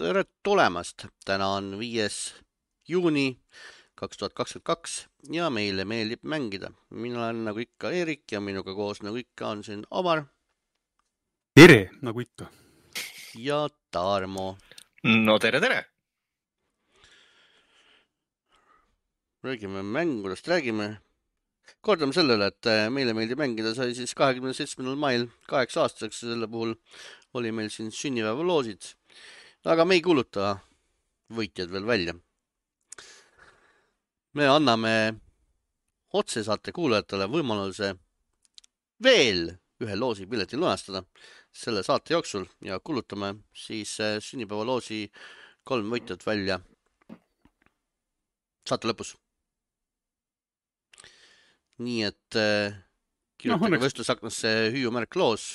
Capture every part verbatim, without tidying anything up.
tere tulemast! Täna on viies juuni kaks tuhat kakskümmend kaks ja meile meeldib mängida. Mina olen nagu ikka Erik ja minuga koos nagu ikka on siin Omar. Tere, nagu ikka. Ja Tarmo. No tere, tere! Räägime mängudest, räägime. Kordame sellele, et meile meeldib mängida sai siis kahekümne seitsmendal mail kaheksa aastaseks ja selle puhul oli meil siin sünnipäevaloosid. Aga me ei kuuluta võitjad veel välja. Me anname otsesaate kuulajatele võimaluse veel ühe loosi pileti lunastada selle saate jooksul ja kuulutame siis sünnipäevaloosi kolm võitjat välja saate lõpus. Nii et kirjutage no, võistlusaknasse hüüumärk loos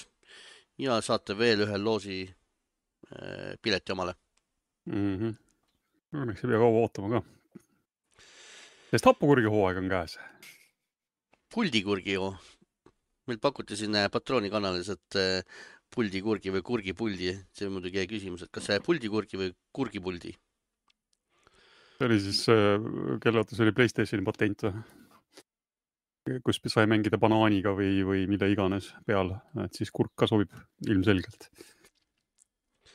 ja saate veel ühe loosi äh, pileti omale. Mm-hmm. Õnneks ei pea kaua ootama ka. Sest happukurgi hooaeg on käes. Puldikurgi ju. Meil pakuti siin patroonikanalis, et puldikurgi või kurgipuldi. See on muidugi küsimus, et kas see puldikurgi või kurgipuldi? See oli siis, kelle ootus oli PlayStationi patent või? Kus sai mängida banaaniga või, või mida iganes peal, et siis kurk ka sobib ilmselgelt.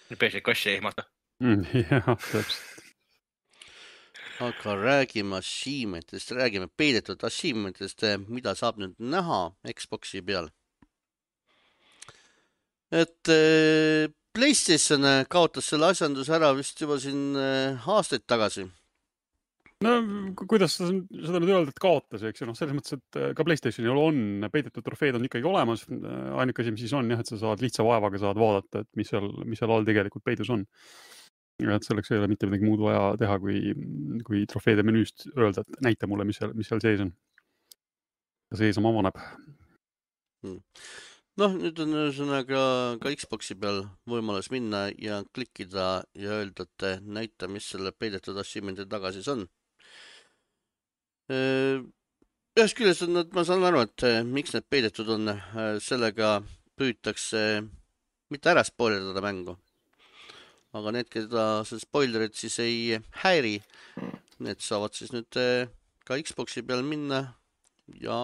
Peaasi kassi ei ehmata. Mm, jah, täpselt. Aga räägime achievementest, räägime peidetud achievementest, mida saab nüüd näha Xboxi peal. Et PlayStation kaotas selle asjanduse ära vist juba siin aastaid tagasi. No kuidas seda nüüd öelda, et kaotas, eks ju, noh, selles mõttes, et ka PlayStationil on peidetud trofeed on ikkagi olemas. Ainuke asi, mis siis on, jah, et sa saad lihtsa vaevaga saad vaadata, et mis seal, mis seal all tegelikult peidus on. Ja et selleks ei ole mitte midagi muud vaja teha, kui, kui trofeede menüüst öelda, et näita mulle, mis seal, mis seal sees on. Ja sees oma avaneb. Hmm. Noh, nüüd on ühesõnaga ka Xboxi peal võimalus minna ja klikkida ja öelda, et näita, mis selle peidetud achievement'i taga siis on. Ühest küljest on, et ma saan aru, et miks need peidetud on, sellega püütakse mitte ära spoilerdada mängu. Aga need, keda see spoilerid siis ei häiri, need saavad siis nüüd ka Xboxi peal minna ja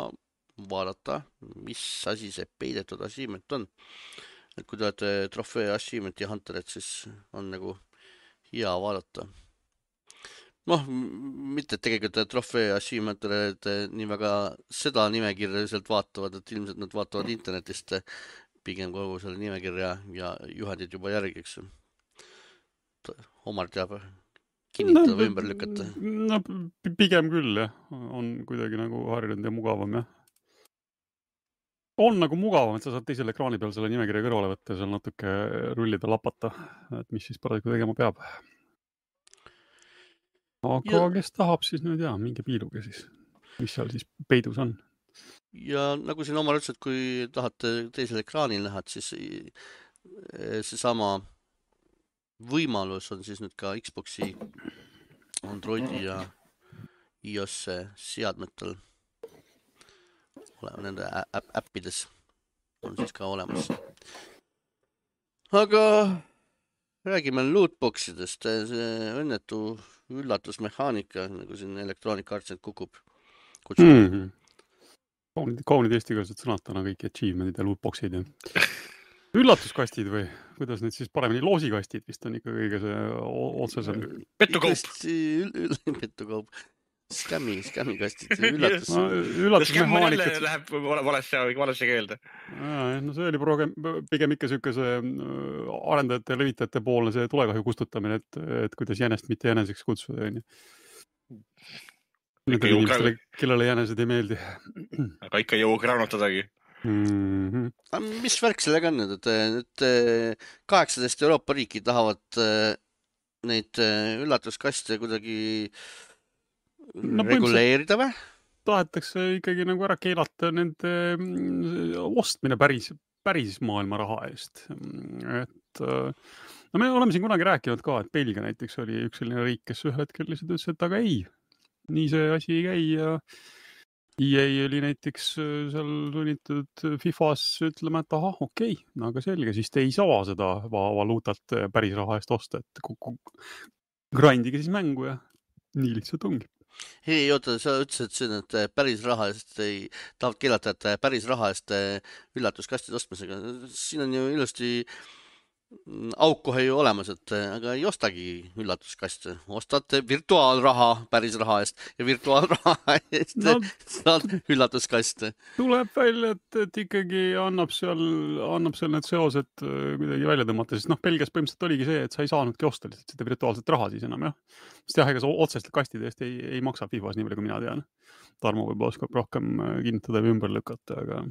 vaadata, mis asi see peidetud achievement on. Et kui te olete trofee achievementi hunter, et siis on nagu hea vaadata. Noh, mitte tegelikult trofee achievementele, et nii väga seda nimekirja sealt vaatavad, et ilmselt nad vaatavad internetist pigem kogu selle nimekirja ja juhendid juba järgiks. Omar teab kinnitada no, või ümber lükata. No pigem küll, jah. On kuidagi nagu harjunud ja mugavam, jah. On nagu mugavam, et sa saad teisel ekraani peal selle nimekirja kõrvale võtta ja seal natuke rullida lapata, et mis siis parasjagu tegema peab. Aga ja, kes tahab siis nüüd jah, mingi piiluge siis, mis seal siis peidus on. Ja nagu siin Omar ütles, et kui tahate teisel ekraanil näha, siis see sama võimalus on siis nüüd ka Xboxi, Androidi ja iOS seadmetel olema nende äppides on siis ka olemas. Aga räägime lootboxidest, see õnnetu üllatusmehaanika, nagu siin Electronic Arts kukub. Mm-hmm. Kaunid, kaunid eestikeelsed sõnad täna kõik achievementid ja lootboxid. Ja. Üllatuskastid või? Kuidas need siis paremini? Loosikastid vist on ikka kõige see otsesem. Pettukaup. Pettukaup. Skämi, skämi kastid. Üllatus. No, üllatusmehaanikat. Läheb valesse, valesse keelde. Ja, no see oli pigem, pigem ikka sükese arendajate ja levitajate poolne see tulekahju kustutamine, et, et kuidas jänest mitte jäneseks kutsuda. Need inimestele, kellele jänesed ei meeldi. Aga ikka jõu kraanutadagi. Mm-hmm. Mis värk sellega on nüüd, et kaheksateist Euroopa riiki tahavad neid üllatuskaste kuidagi no, reguleerida või? Tahetakse ikkagi nagu ära keelata nende ostmine päris, päris maailma raha eest. Et no me oleme siin kunagi rääkinud ka, et Belgia näiteks oli üks selline riik, kes ühe hetkel lihtsalt ütles, et aga ei, nii see asi ei käi ja E A oli näiteks seal sunnitud Fifas ütlema, et ahah, okei, okay, no aga selge, siis te ei saa seda valuutat päris raha eest osta, et grindige siis mängu ja nii lihtsalt ongi. Hei, oota, sa ütlesid siin, et päris raha eest ei tahavad keelata, et päris raha eest üllatuskastide ostmisega. Siin on ju ilusti auk kohe ju olemas, et aga ei ostagi üllatuskaste. Ostad virtuaalraha päris raha eest ja virtuaalraha eest no, saad üllatuskaste. Tuleb välja, et, et ikkagi annab seal, annab seal need seosed kuidagi välja tõmmata, sest noh, Belgias põhimõtteliselt oligi see, et sa ei saanudki osta lihtsalt seda virtuaalset raha siis enam, jah. Sest jah, ega sa otsest kastide eest ei, ei maksa Fifas nii palju, kui mina tean. Tarmo võib oskab rohkem kinnitada või ümber lükata, aga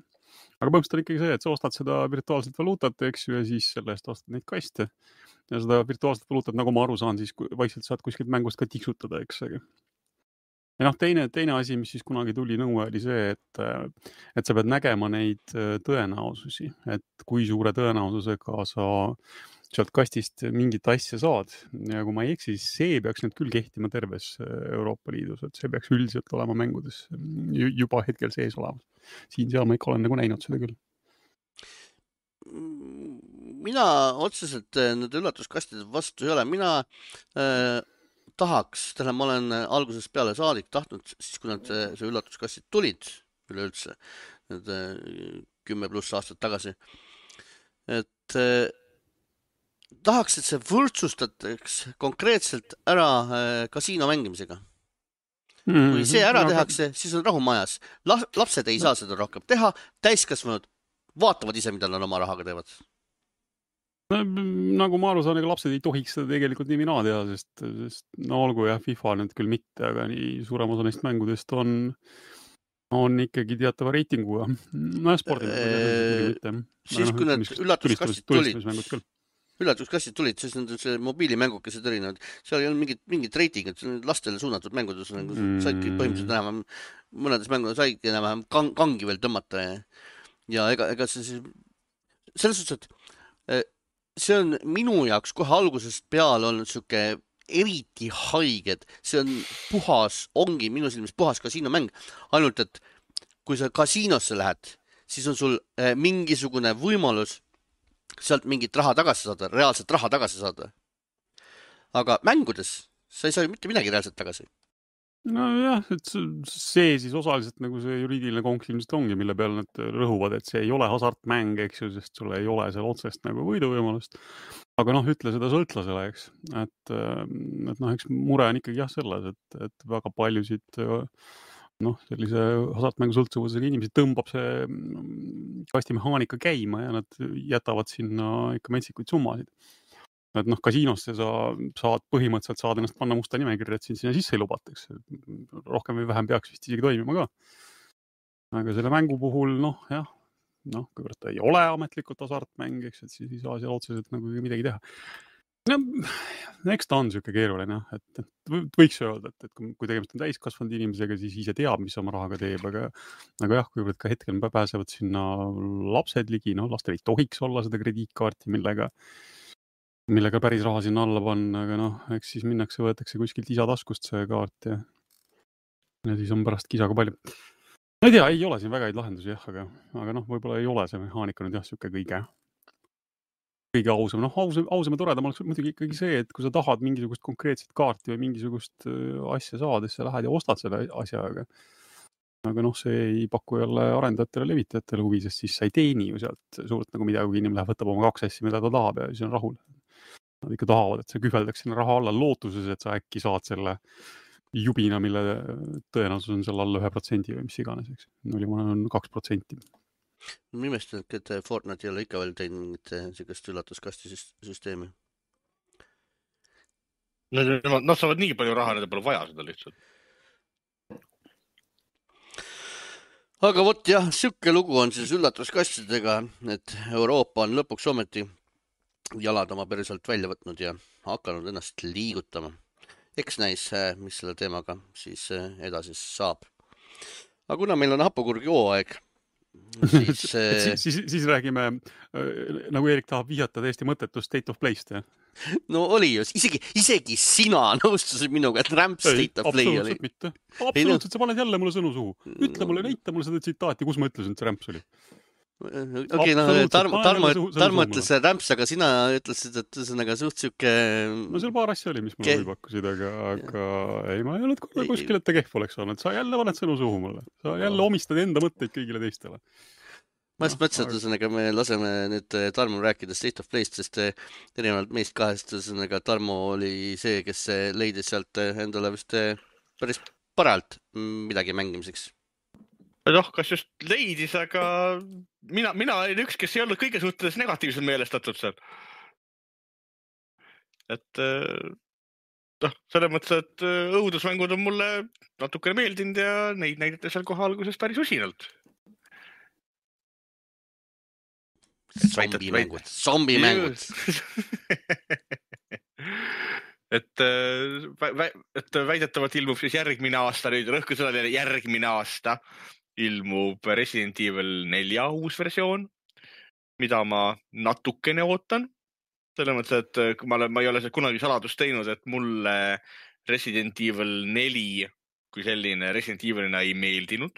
aga põhimõtteliselt on ikkagi see, et sa ostad seda virtuaalset valuutat, eks ju, ja siis selle eest ostad neid kaste. Ja seda virtuaalset valuutat, nagu ma aru saan, siis vaikselt saad kuskilt mängust ka tiksutada, eks. Ja noh, teine, teine asi, mis siis kunagi tuli nõue, oli see, et, et sa pead nägema neid tõenäosusi, et kui suure tõenäosusega sa sealt kastist mingit asja saad. Ja kui ma ei eksi, siis see peaks nüüd küll kehtima terves Euroopa Liidus, et see peaks üldiselt olema mängudes juba hetkel sees olema. Siin seal ma ikka olen nagu näinud seda küll. Mina otseselt need üllatuskastide vastu ei ole. Mina äh, tahaks, tähendab, ma olen algusest peale saadik tahtnud, siis kui nad see üllatuskastid tulid üleüldse, need kümme pluss aastat tagasi, et äh, tahaks, et see võrdsustataks konkreetselt ära äh, kasiino mängimisega. Kui see ära tehakse, siis on rahu majas. Lapsed ei saa seda rohkem teha, täiskasvanud vaatavad ise, mida nad oma rahaga teevad. Nagu ma aru saan, ega lapsed ei tohiks seda tegelikult nii mina teha, sest, sest no olgu jah, FIFA nüüd küll mitte, aga nii suurem osa neist mängudest on, on ikkagi teatava reitinguga. No ja spordil eee, mitte. Siis kui need üllatuskastid tulid, üllatuskastid tulid, siis need see mobiilimängukesed erinevad. Seal ei olnud mingit, mingit reitingid, lastele suunatud mängudes mm. saidki põhimõtteliselt enam, mõnedes mängudes saidki enam kangi veel tõmmata. Ja, ja ega, ega see siis, selles suhtes, et see on minu jaoks kohe algusest peale olnud siuke eriti haiged. See on puhas, ongi minu silmis puhas kasiinomäng. Ainult, et kui sa kasiinosse lähed, siis on sul mingisugune võimalus sealt mingit raha tagasi saada, reaalselt raha tagasi saada. Aga mängudes sa ei saa ju mitte midagi reaalselt tagasi. No jah, et see siis osaliselt nagu see juriidiline konks ilmselt ongi, mille peale nad rõhuvad, et see ei ole hasartmäng, eks ju, sest sul ei ole seal otsest nagu võiduvõimalust. Aga noh, ütle seda sõltlasele, eks. Et, et noh, eks mure on ikkagi jah selles, et, et väga paljusid noh, sellise hasartmängu sõltuvusega inimesi tõmbab see kastimehaanika käima ja nad jätavad sinna ikka metsikuid summasid. Et noh, kasiinosse sa saad põhimõtteliselt saad ennast panna musta nimekirja, et sind sinna sisse ei lubataks. Rohkem või vähem peaks vist isegi toimima ka. Aga selle mängu puhul, noh, jah, noh, kuivõrd ta ei ole ametlikult hasartmäng, eks, et siis ei saa seal otseselt nagu midagi teha. No, eks ta on siuke keeruline, et, et võiks öelda, et, et kui tegemist on täiskasvanud inimesega, siis ise teab, mis oma rahaga teeb, aga, aga jah, kuivõrd ka hetkel pääsevad sinna lapsed ligi, no lastel ei tohiks olla seda krediitkaarti, millega millega päris raha sinna alla panna, aga noh, eks siis minnakse, võetakse kuskilt isa taskust see kaart ja, ja siis on pärast kisaga palju. Ma ei tea, ei ole siin väga häid lahendusi, jah, aga, aga noh, võib-olla ei ole see mehaanika nüüd jah, siuke kõige, kõige ausam. Noh, ausam, ausam ja toredam oleks muidugi ikkagi see, et kui sa tahad mingisugust konkreetset kaarti või mingisugust asja saades, sa lähed ja ostad selle asja, aga, aga noh, see ei paku jälle arendajatele, levitajatele huvi, sest siis sa ei teeni ju sealt suurt nagu midagi, kui inimene läheb, võtab oma kaks asja, mida ta tahab ja siis on rahul. Nad ikka tahavad, et sa kühveldaks sinna raha alla lootuses, et sa äkki saad selle jubina, mille tõenäosus on seal alla ühe protsendi või mis iganes, eks. Nuli on kaks protsenti. Ma imestan, et Fortnite ei ole ikka veel teinud mingit sellist üllatuskasti süsteemi. Nad saavad nii palju raha, need pole vaja seda lihtsalt. Aga vot jah, siuke lugu on siis üllatuskastidega, et Euroopa on lõpuks ometi jalad oma päriselt välja võtnud ja hakanud ennast liigutama. Eks näis, mis selle teemaga siis edasi saab. Aga kuna meil on hapukurgi hooaeg, siis... siis, siis, siis räägime, nagu Erik tahab vihjata täiesti mõttetust State of Play'st, jah? no oli ju, isegi, isegi sina nõustusid minuga, et Ramp State of Play oli. Absoluutselt mitte. Absoluutselt, sa paned jälle mulle sõnu suhu. Ütle mulle, näita mulle seda tsitaati, kus ma ütlesin, et see Ramps oli. Okei, okay, no Tarmo, Tarmo, Tarmo ütles Ramps, aga sina ütlesid, et ühesõnaga suht siuke... No seal paar asja oli, mis mulle huvi pakkusid, aga, aga ei, ma ei olnud korra kuskil, et ta kehv oleks olnud. Sa jälle paned sõnu suhu mulle. Sa jälle omistad enda mõtteid kõigile teistele. Ma just mõtlesin, et ühesõnaga me laseme nüüd Tarmo rääkida State of Playst, sest erinevalt meist kahest ühesõnaga Tarmo oli see, kes leidis sealt endale vist päris paralt midagi mängimiseks. Noh, kas just leidis, aga mina, mina olin üks, kes ei olnud kõige suhteles negatiivselt meelestatud seal. Et noh, selle mõttes, et õudusmängud on mulle natukene meeldinud ja neid näidati seal koha alguses päris usinalt. Zombimängud, zombimängud. et, et väidetavalt ilmub siis järgmine aasta, nüüd rõhku sõnal järgmine aasta ilmub Resident Evil nelja uus versioon, mida ma natukene ootan. Selle mõttes, et ma, olen, ma ei ole kunagi saladust teinud, et mulle Resident Evil neli kui selline Resident Evilina ei meeldinud.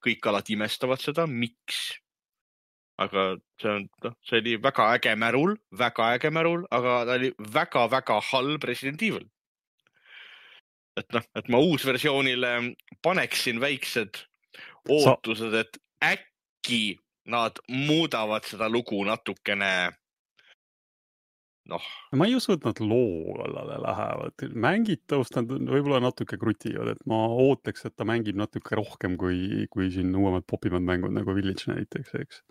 Kõik alati imestavad seda, miks? Aga see, on, no, see oli väga äge märul, väga äge märul, aga ta oli väga-väga halb Resident Evil. Et, no, et ma uus versioonile paneksin väiksed ootused, et äkki nad muudavad seda lugu natukene, noh. Ma ei usu, et nad loo kallale lähevad. Mängitavust nad võib-olla natuke krutivad, et ma ootaks, et ta mängib natuke rohkem kui, kui siin uuemad popimad mängud nagu Village näiteks, eks.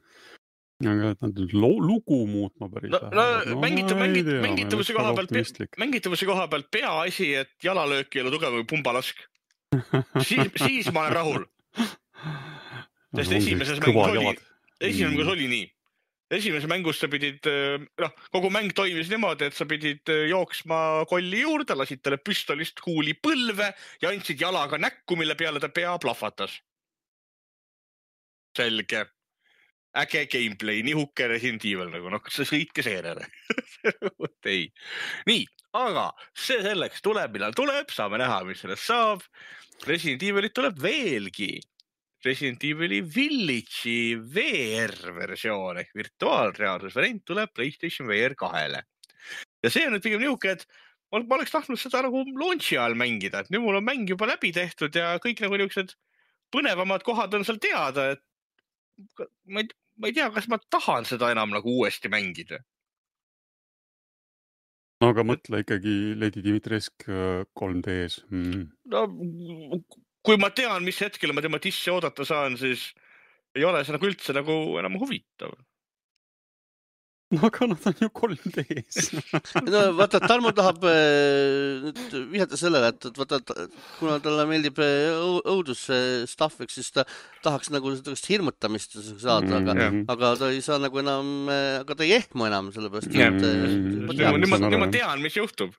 Aga et nad lugu muutma päris no, no, no, mängitav, mängit, tea, mängitavuse, koha pealt, mängitavuse koha pealt peaasi, et jalalöök ei ole tugev või pumbalask. Siis, siis ma olen rahul. Sest no, esimeses mängus oli, esimeses mängus oli nii. Esimeses mängus sa pidid, noh, kogu mäng toimis niimoodi, et sa pidid jooksma kolli juurde, lasid talle püstolist kuuli põlve ja andsid jalaga näkku, mille peale ta pea plahvatas. Selge. Äge gameplay, nii hukke Resident Evil nagu, noh, kas see sõitke seerele? ei. Nii, aga see selleks tuleb, millal tuleb, saame näha, mis sellest saab. Resident Evilit tuleb veelgi. Resident Evili Village'i V R-versioon ehk virtuaalreaalsusvariant tuleb PlayStation V R kahele. Ja see on nüüd pigem niuke, et ma oleks tahtnud seda nagu launchi ajal mängida, et nüüd mul on mäng juba läbi tehtud ja kõik nagu niuksed põnevamad kohad on seal teada, et ma ei, ma ei tea, kas ma tahan seda enam nagu uuesti mängida. No aga mõtle ikkagi Lady Dimitrescu kolm D-s. Mm. No, kui ma tean, mis hetkel ma tema tisse oodata saan, siis ei ole see nagu üldse nagu enam huvitav. No aga nad on ju kolm D-s. no vaata, Tarmo tahab nüüd vihjata sellele, et, et vaata, kuna talle meeldib õudus stuff, siis ta tahaks nagu hirmutamist saada, aga, mm-hmm. aga ta ei saa nagu enam, aga ta ei ehmu enam sellepärast. Mm-hmm. Nüüd ma tean, mis juhtub.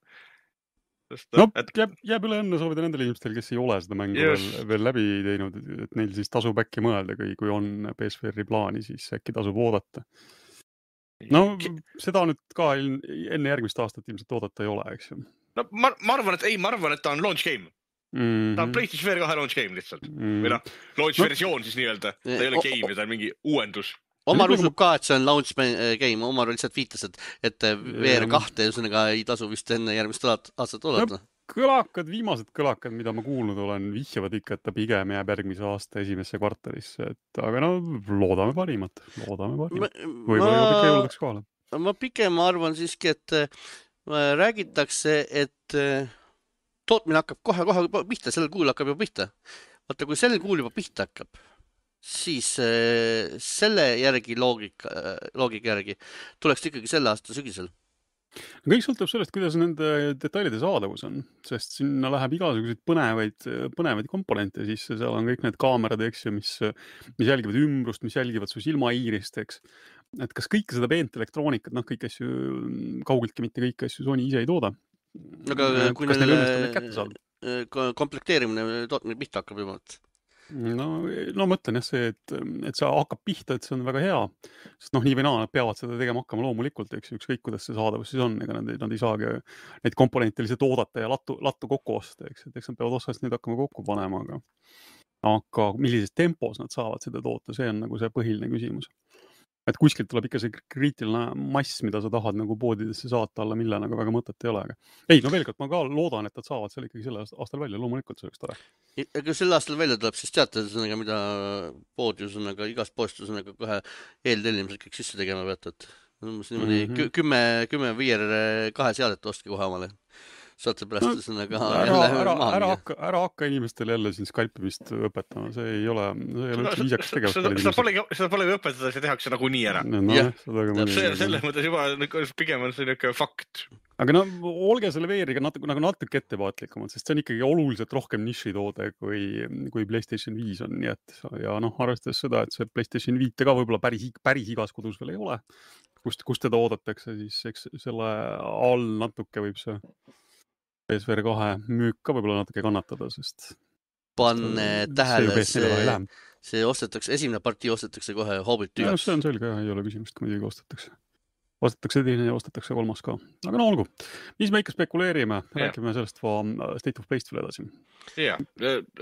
No, et... jääb, jääb üle õnne soovida nendele inimestel, kes ei ole seda mängu veel, veel läbi teinud, et neil siis tasub äkki mõelda, kui, kui on P S V R-i plaani, siis äkki tasub oodata. No seda nüüd ka enne järgmist aastat ilmselt oodata ei ole, eks ju. No ma, ma arvan, et ei, ma arvan, et ta on launch game. Mm-hmm. Ta on PlayStation V R kahe launch game lihtsalt. Mm-hmm. Või noh, launch no. versioon siis nii-öelda. Ta ei ole game, ta on mingi uuendus. Omar usub ka, et see on launch game. Omar lihtsalt viitas, et, et V R kahte üsõnaga ei tasu vist enne järgmist aastat olema. Kõlakad, viimased kõlakad, mida ma kuulnud olen, vihjavad ikka, et ta pigem jääb järgmise aasta esimesse kvartalisse. Et, aga no, loodame parimat. Loodame parimat. Võib-olla juba pikka jõudaks kohale. Ma pigem arvan siiski, et räägitakse, et tootmine hakkab kohe-kohe pihta, sellel kuul hakkab juba pihta. Vaata, kui sellel kuul juba pihta hakkab, siis selle järgi loogika, loogika järgi tuleks ikkagi selle aasta sügisel. Kõik sõltub sellest, kuidas nende detailide saadavus on, sest sinna läheb igasuguseid põnevaid, põnevaid komponente sisse, seal on kõik need kaamerad, eks ju, mis, mis jälgivad ümbrust, mis jälgivad su silmaiirist, eks. Et kas kõik seda peent elektroonikat, noh, kõik asju, kaugeltki mitte kõik asju Sony ise ei tooda. Aga kui neil komplekteerimine tootmine pihta hakkab juba, no, no mõtlen jah see, et, et see hakkab pihta, et see on väga hea, sest noh, nii või naa, nad peavad seda tegema hakkama loomulikult, eks ükskõik, kuidas see saadavus siis on, ega nad, nad ei saagi neid komponente lihtsalt oodata ja lattu, lattu kokku osta, eks, et eks nad peavad osast neid hakkama kokku panema, aga aga millises tempos nad saavad seda toota, see on nagu see põhiline küsimus. Et kuskilt tuleb ikka see kriitiline mass, mida sa tahad nagu poodidesse saata alla, mille nagu väga mõtet ei ole. Aga ei, no veel kord, ma ka loodan, et nad saavad seal ikkagi selle aastal välja, loomulikult see oleks tore. Ja kui sel aastal välja tuleb, siis teate, sõnaga, mida poodi sõnaga, igast poostus sõnaga kohe eeltellimised kõik sisse tegema peate, et niimoodi mm -hmm. kümme, kümme viier kahe seadet ostke kohe omale. Saate pärast no, sõnaga ära, ära, ära, hakka, ära hakka inimestel jälle siin Skype'imist õpetama, see ei ole, see ei ole üldse viisakas tegevus. Seda polegi, seda polegi õpetada, see tehakse nagunii ära. No, no, selles mõttes juba pigem on see niisugune fakt. Aga no, olge selle veeriga natuke, nagu natuke ettevaatlikumad, sest see on ikkagi oluliselt rohkem nišitoode kui, kui PlayStation viis on. Nii et, ja noh, arvestades seda, et see PlayStation viis ka võib-olla päris, päris igas kodus veel ei ole, kust, kust teda oodatakse, siis eks selle all natuke võib see P S V R kahe müük ka võib-olla natuke kannatada, sest panne tähele, see, see ostetakse, esimene partii ostetakse kohe Hobbit tüüaks. Ja, see on selge, ei ole küsimust, kui muidugi ostetakse. Ostetakse teine ja ostetakse kolmas ka. Aga no olgu, mis me ikka spekuleerime, räägime sellest va State of Play'st veel edasi. Jaa,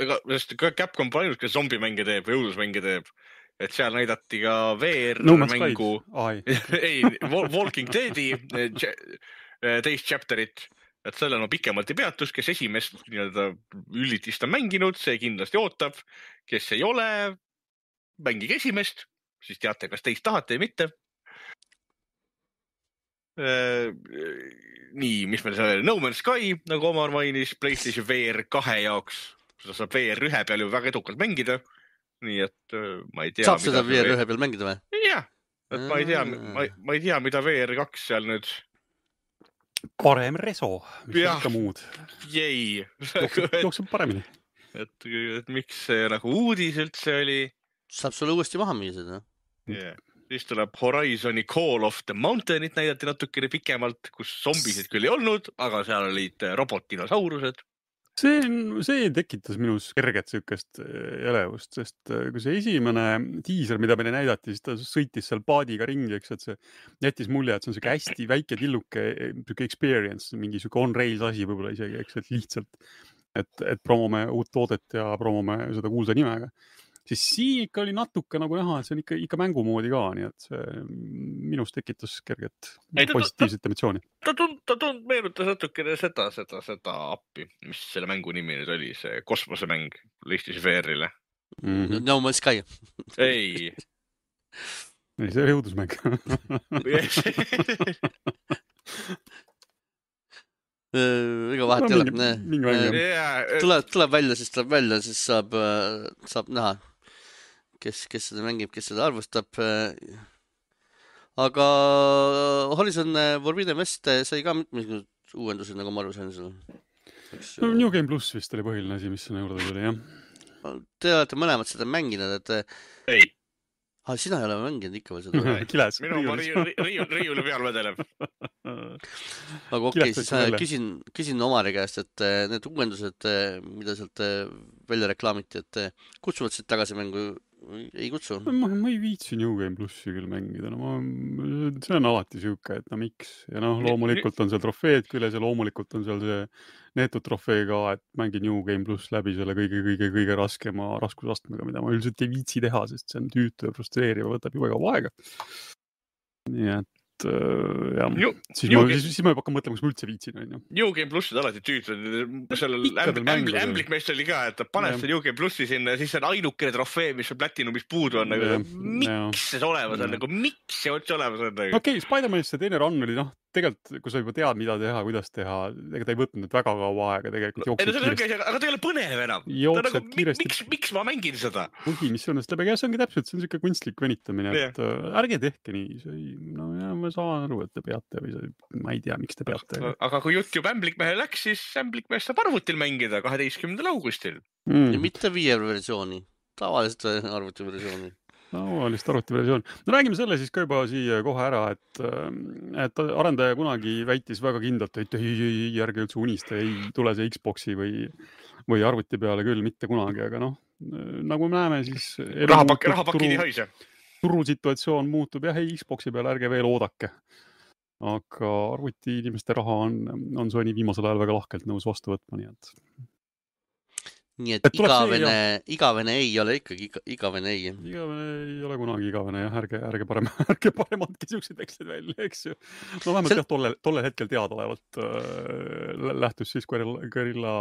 ega sest Capcom paljus, kes zombimänge teeb või õudusmänge teeb, et seal näidati ka V R-mängu no, ei, Walking Deadi teist chapterit, et sellel on pikemalt ei peatus, kes esimest üllitist on mänginud, see kindlasti ootab, kes ei ole, mängige esimest, siis teate, kas teist tahate või mitte. Nii, mis meil seal No Man's Sky, nagu Omar mainis, PlayStation V R kahe jaoks, seda saab V R ühe peal ju väga edukalt mängida, nii et ma ei tea. Saab seda V R ühe peal mängida või? Jah, et ma ei tea, ma, ma ei tea, mida V R kaks seal nüüd parem reso, mis ja, ikka muud. Jäi. Jookseb paremini. Et, et miks see nagu uudis üldse oli? Saab sulle uuesti maha müüa seda. Yeah. Siis tuleb Horizoni Call of the Mountainit näidati natukene pikemalt, kus zombisid küll ei olnud, aga seal olid robotdinosaurused. See, see tekitas minus kerget sükest elevust, sest kui see esimene tiiser, mida meile näidati, siis ta sõitis seal paadiga ringi, eks, et see jättis mulje, et see on siuke hästi väike tilluke siuke experience, mingi siuke on-rails asi võib-olla isegi, eks, et lihtsalt, et, et promome uut toodet ja promome seda kuulsa nimega. Siis siin ikka oli natuke nagu näha, et see on ikka, ikka mängumoodi ka, nii et see minus tekitas kerget ei, ta, positiivset emotsiooni. Ta, ta, ta, ta meenutas natukene seda, seda, seda appi, mis selle mängu nimi nüüd oli, see kosmosemäng PlayStation V R-ile. Mm -hmm. No Man's Sky. Ei. ei, see oli õudusmäng. ega vahet ei ole. Tuleb, tuleb välja, siis tuleb välja, siis saab, saab näha, kes, kes seda mängib, kes seda arvustab. Aga Horizon Forbidden West sai ka mitmes uuendusi, nagu ma aru sain seal. No, New Game Plus vist oli põhiline asi, mis sinna juurde tuli, jah. Te olete mõlemad seda mänginud, et... Ei. Ah, sina ei ole mänginud ikka veel seda. Kiles. Minu oma riiuli peal vedeleb. Aga okei, okay, siis küsin, küsin Omari käest, et need uuendused, mida sealt välja reklaamiti, et kutsuvad siit tagasi mängu, ei kutsu? Ma, ma ei viitsi New Game Plussi küll mängida. No, ma, see on alati siuke, et no miks. Ja noh, loomulikult on seal trofeed küljes ja loomulikult on seal see neetud trofee ka, et mängi New Game Plus läbi selle kõige, kõige, kõige raskema raskusastmega, mida ma üldiselt ei viitsi teha, sest see on tüütu ja frustreeriv ja võtab ju väga aega. Nii et ja, New, siis, New ma, siis, siis ma juba hakkan mõtlema, kas ma üldse viitsin. On ju. New Game Plussid alati tüütud. Sellel ämblikmeest oli ka, et ta paneb see New Game Plussi sinna ja siis see on ainukene trofee, mis on Platinumis puudu on. Nagu, miks see olemas on? Nagu, miks see otsi olemas on? Okei, okay, Spider-Manist see teine run oli, noh, tegelikult, kui sa juba tead, mida teha, kuidas teha, ega ta ei võtnud väga kaua aega tegelikult jookseb ei, no, kiiresti. Aga ta ei ole põnev enam. Nagu, miks, miks ma mängin seda? Põhi, mis see on, sest läbi, ja see ongi täpselt, see on siuke kunstlik venitamine, et yeah. ärge tehke nii. See ei, no ja ma saan aru, et te peate või see, ma ei tea, miks te peate. Aga, aga kui jutt juba ämblikmehe läks, siis ämblikmehe saab arvutil mängida kaheteistkümnendal augustil. Mm. Ja mitte V R versiooni, tavaliselt arvuti versiooni. No, olist arvutiversioon. No räägime selle siis ka juba siia kohe ära, et, et arendaja kunagi väitis väga kindlalt, et ei, ei, järgi üldse unista, ei tule see Xboxi või, või arvuti peale küll mitte kunagi, aga noh, nagu me näeme, siis rahapakk, rahapakid ei haise. Turusituatsioon muutub jah, ei Xboxi peal ärge veel oodake. Aga arvuti inimeste raha on, on Sony viimasel ajal väga lahkelt nõus vastu võtma, nii et Nii et, et igavene, igavene ei ole ikkagi igavene ei. Igavene ei ole kunagi igavene, jah, ärge, ärge parem, ärge parem andke siuksed vekslid välja, eks ju. No vähemalt jah, tolle, tolle hetkel teadaolevalt äh, lähtus siis Guerrilla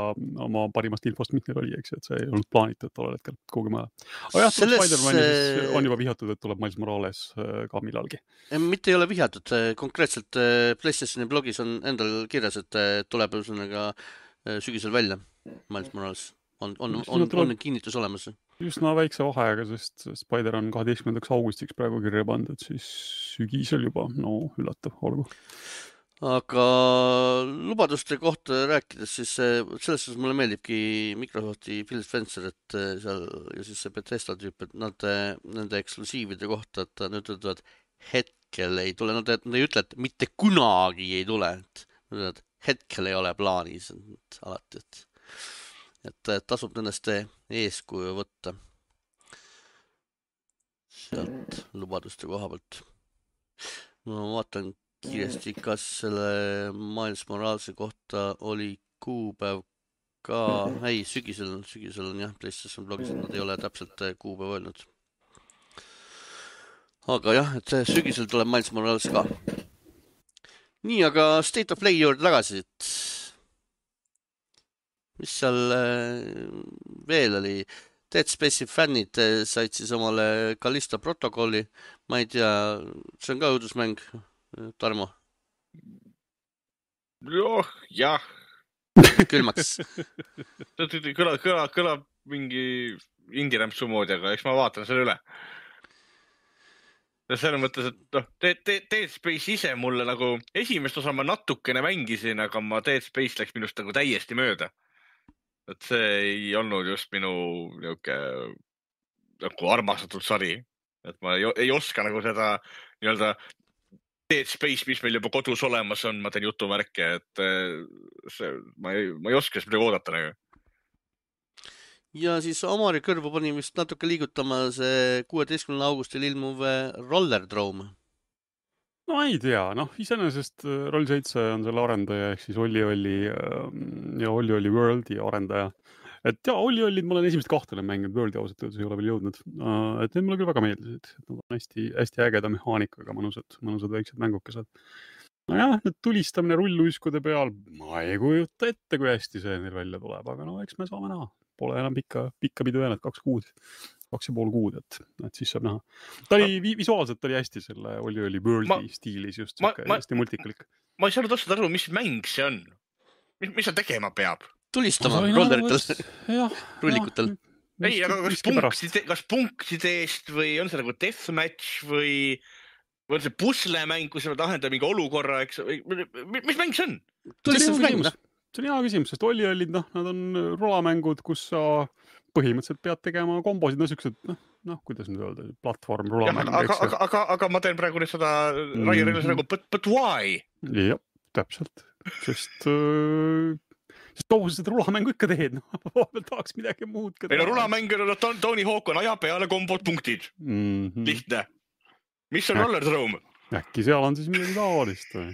oma parimast infost, mis neil oli, eks ju, et see ei olnud plaanitud tollel hetkel kuhugi maja. Aga jah, Selles... Spider-Mani siis on juba vihjatud, et tuleb Miles Morales ka millalgi. Mitte ei ole vihjatud, konkreetselt PlayStationi blogis on endal kirjas, et tuleb üsnaga sügisel välja Miles Morales. On, on, on, on kinnitus olemas. Üsna väikse vaheaega, sest Spider on kaheteistkümnendaks augustiks praegu kirja pandud, siis sügisel juba, no üllatav, olgu. Aga lubaduste kohta rääkides, siis selles suhtes mulle meeldibki Microsofti Phil Spencer, et seal ja siis see Bethesda tüüp, et nad nende eksklusiivide kohta, et nad ütlevad, hetkel ei tule, nad ei ütle, et mitte kunagi ei tule, et nad ütlevad, hetkel ei ole plaanis, et alati, et et tasub nendest eeskuju võtta sealt lubaduste koha pealt. Ma vaatan kiiresti, kas selle Miles Moralese kohta oli kuupäev ka, ei, sügisel, sügisel on jah, PlayStation blogis, nad ei ole täpselt kuupäev öelnud. Aga jah, et sügisel tuleb Miles Morales ka. Nii, aga State of Play juurde tagasi, et mis seal veel oli? Dead Space'i fännid said siis omale Callisto protokolli. Ma ei tea, see on ka õudusmäng, Tarmo? Joh, jah. Külmaks. Kõla, kõla, kõla mingi indie-rämpsu moodi, aga eks ma vaatan selle üle. Ja selles mõttes, et no, Dead Space ise mulle nagu esimest osa ma natukene mängisin, aga ma Dead Space läks minust nagu täiesti mööda. Et see ei olnud just minu niuke, nagu armastatud sari. Et ma ei, ei oska nagu seda nii-öelda Dead Space, mis meil juba kodus olemas on, ma teen jutumärke, et see, ma, ei, ma ei oska seda oodata nagu. Ja siis Omari kõrvu pani vist natuke liigutama see kuueteistkümnendal augustil ilmuv Rollerdrome. No ei tea, noh, iseenesest Roll seitse on selle arendaja, ehk siis Olli Olli ja Olli Olli Worldi arendaja. Et ja, Olli Ollid ma olen esimest kahtele mänginud, Worldi ausalt öeldes ei ole veel jõudnud. Et need mulle küll väga meeldisid. Nad on hästi, hästi ägeda mehaanikaga, mõnusad, mõnusad väiksed mängukesed. No jah, need tulistamine rulluiskude peal, ma ei kujuta ette, kui hästi see neil välja tuleb, aga no eks me saame näha. Pole enam pikka, pikka pidu jäänud, kaks kuud, kaks ja pool kuud, et, et siis saab näha. Ta oli vi- visuaalselt oli hästi selle Olli Olli Worldi ma, stiilis just, ma, ma, hästi multikalik. Ma ei saanud otsada aru, mis mäng see on. Mis, mis sa tegema peab? Tulistama rolleritel, rullikutel. Ei, aga kas punktide, kas punktide eest või on see nagu deathmatch või, või on see puslemäng, kus sa lahendad mingi olukorra, eks? Mis mäng see on? Tulistusmäng, noh. See on hea küsimus, sest Olli Ollid, noh, nad on rulamängud, kus sa põhimõtteliselt pead tegema kombosid, no siuksed, noh, noh, kuidas nüüd öelda, platvorm, rulamäng. Aga, aga, aga, aga ma teen praegu nüüd seda mm-hmm. Raier nagu, but, but why? Jah, täpselt, sest, sest tohu seda rulamängu ikka teed, noh, tahaks midagi muud. Ei no rulamäng, Tony Hawk on aja peale kombod punktid. Mm-hmm. Lihtne. Mis on Äk... Rollerdrome? Äkki seal on siis midagi taolist või?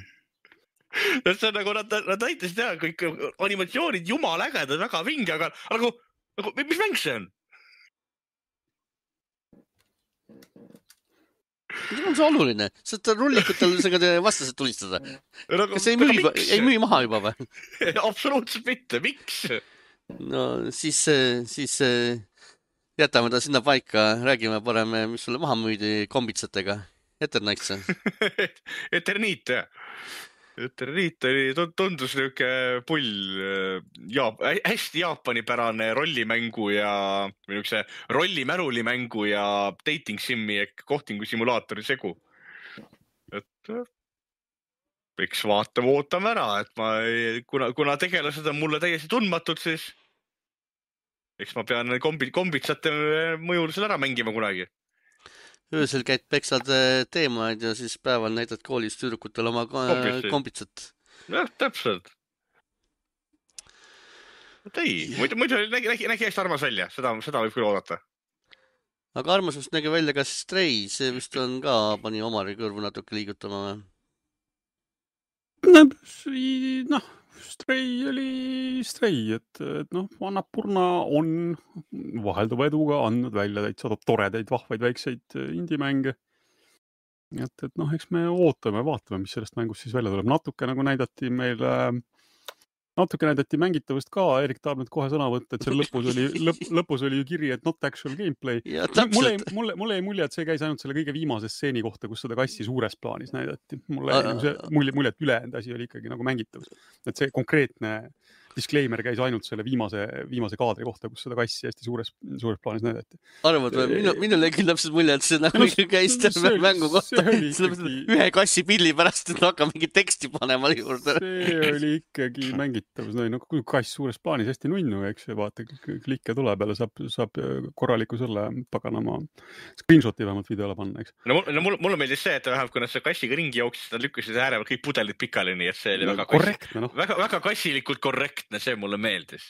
See on nagu, nad, nad näitasid teha kõik animatsioonid jumal ägedad, väga vingi, aga nagu, nagu, mis mäng see on? See on see oluline, sest rullikutel saga te vastased tulistada. Kas ei müü, ei müü maha juba või? Absoluutselt mitte, miks? No siis, siis jätame ta sinna paika, räägime parem, mis sulle maha müüdi kombitsatega. Eternights. Eterniit, jah. Eterniit oli, tundus niuke pull, jaap, hästi jaapanipärane rollimängu ja niukse rollimärulimängu ja dating simmi ehk kohtingu simulaatori segu. Et eks vaatame, ootame ära, et ma ei, kuna, kuna tegelased on mulle täiesti tundmatud, siis eks ma pean kombi, kombitsate mõjul selle ära mängima kunagi. Öösel käid peksad teemaid ja siis päeval näitad koolis tüdrukutel oma kombitsat. Jah, täpselt. ei, muidu, muidu nägi, nägi, nägi hästi armas välja, seda, seda võib küll oodata. aga armasust nägi välja ka Stray, see vist on ka, pani Omari kõrvu natuke liigutama või? noh, Stray oli Stray, et, et noh, Annapurna on vahelduva eduga andnud välja täitsa toredaid, vahvaid väikseid indimänge. Et, et noh, eks me ootame, vaatame, mis sellest mängust siis välja tuleb. Natuke nagu näidati meile, natuke näidati mängitavust ka, Erik tahab nüüd kohe sõna võtta, et seal lõpus oli, lõp, lõpus oli ju kiri, et not actual gameplay. Ja, mulle, mulle, mulle ei mulje, et see käis ainult selle kõige viimase stseeni kohta, kus seda kassi suures plaanis näidati. Mulle nagu see mulje, mulje, et ülejäänud asi oli ikkagi nagu mängitavus. Et see konkreetne disclaimer käis ainult selle viimase, viimase kaadri kohta, kus seda kassi hästi suures, suures plaanis näidati. Arvad või? Minu, minule küll täpselt mulje, et see nagu no, käis terve mängu kohta. Ikkagi... Ühe kassi pilli pärast, et hakka mingi teksti panema juurde. See oli ikkagi mängitavus. No, no, kui kass suures plaanis hästi nunnu, eks vaata, klikke tuleb jälle, saab, saab korraliku selle paganama screenshoti vähemalt videole panna, eks. No, no mulle, mulle meeldis see, et vähemalt kui nad see kassiga ringi jooksid, nad lükkasid ääreval kõik pudelid pikali, nii et see oli no, väga, korrektne, no. väga, väga kassilikult korrektne. See mulle meeldis.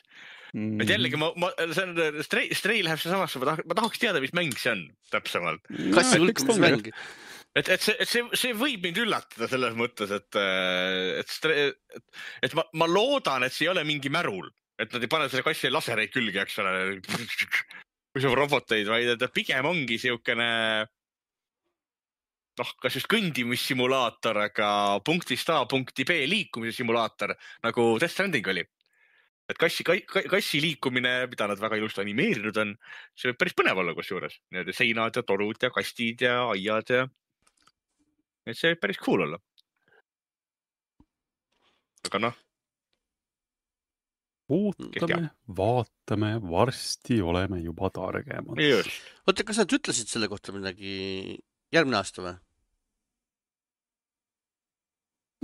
Mm. Et jällegi, ma, ma, see on, Stray, Stray läheb see samasse, ma, tahaks, ma tahaks teada, mis mäng see on täpsemalt. Kassi hulkumis mäng. Et, et, see, et see, see võib mind üllatada selles mõttes, et, et, et, et ma, ma loodan, et see ei ole mingi märul, et nad ei pane selle kassi lasereid külge, eks ole, kui see on roboteid, vaid et pigem ongi siukene noh, kas just kõndimissimulaator, aga punktist A punkti B liikumise simulaator, nagu Death Stranding oli. Et kassi, kassi liikumine, mida nad väga ilusti animeerinud on, see võib päris põnev olla kus juures. Need seinad ja torud ja kastid ja aiad ja... Et see võib päris cool olla. Aga noh. Ootame, vaatame, varsti oleme juba targemad. Just. Oota, kas nad ütlesid selle kohta midagi järgmine aasta või?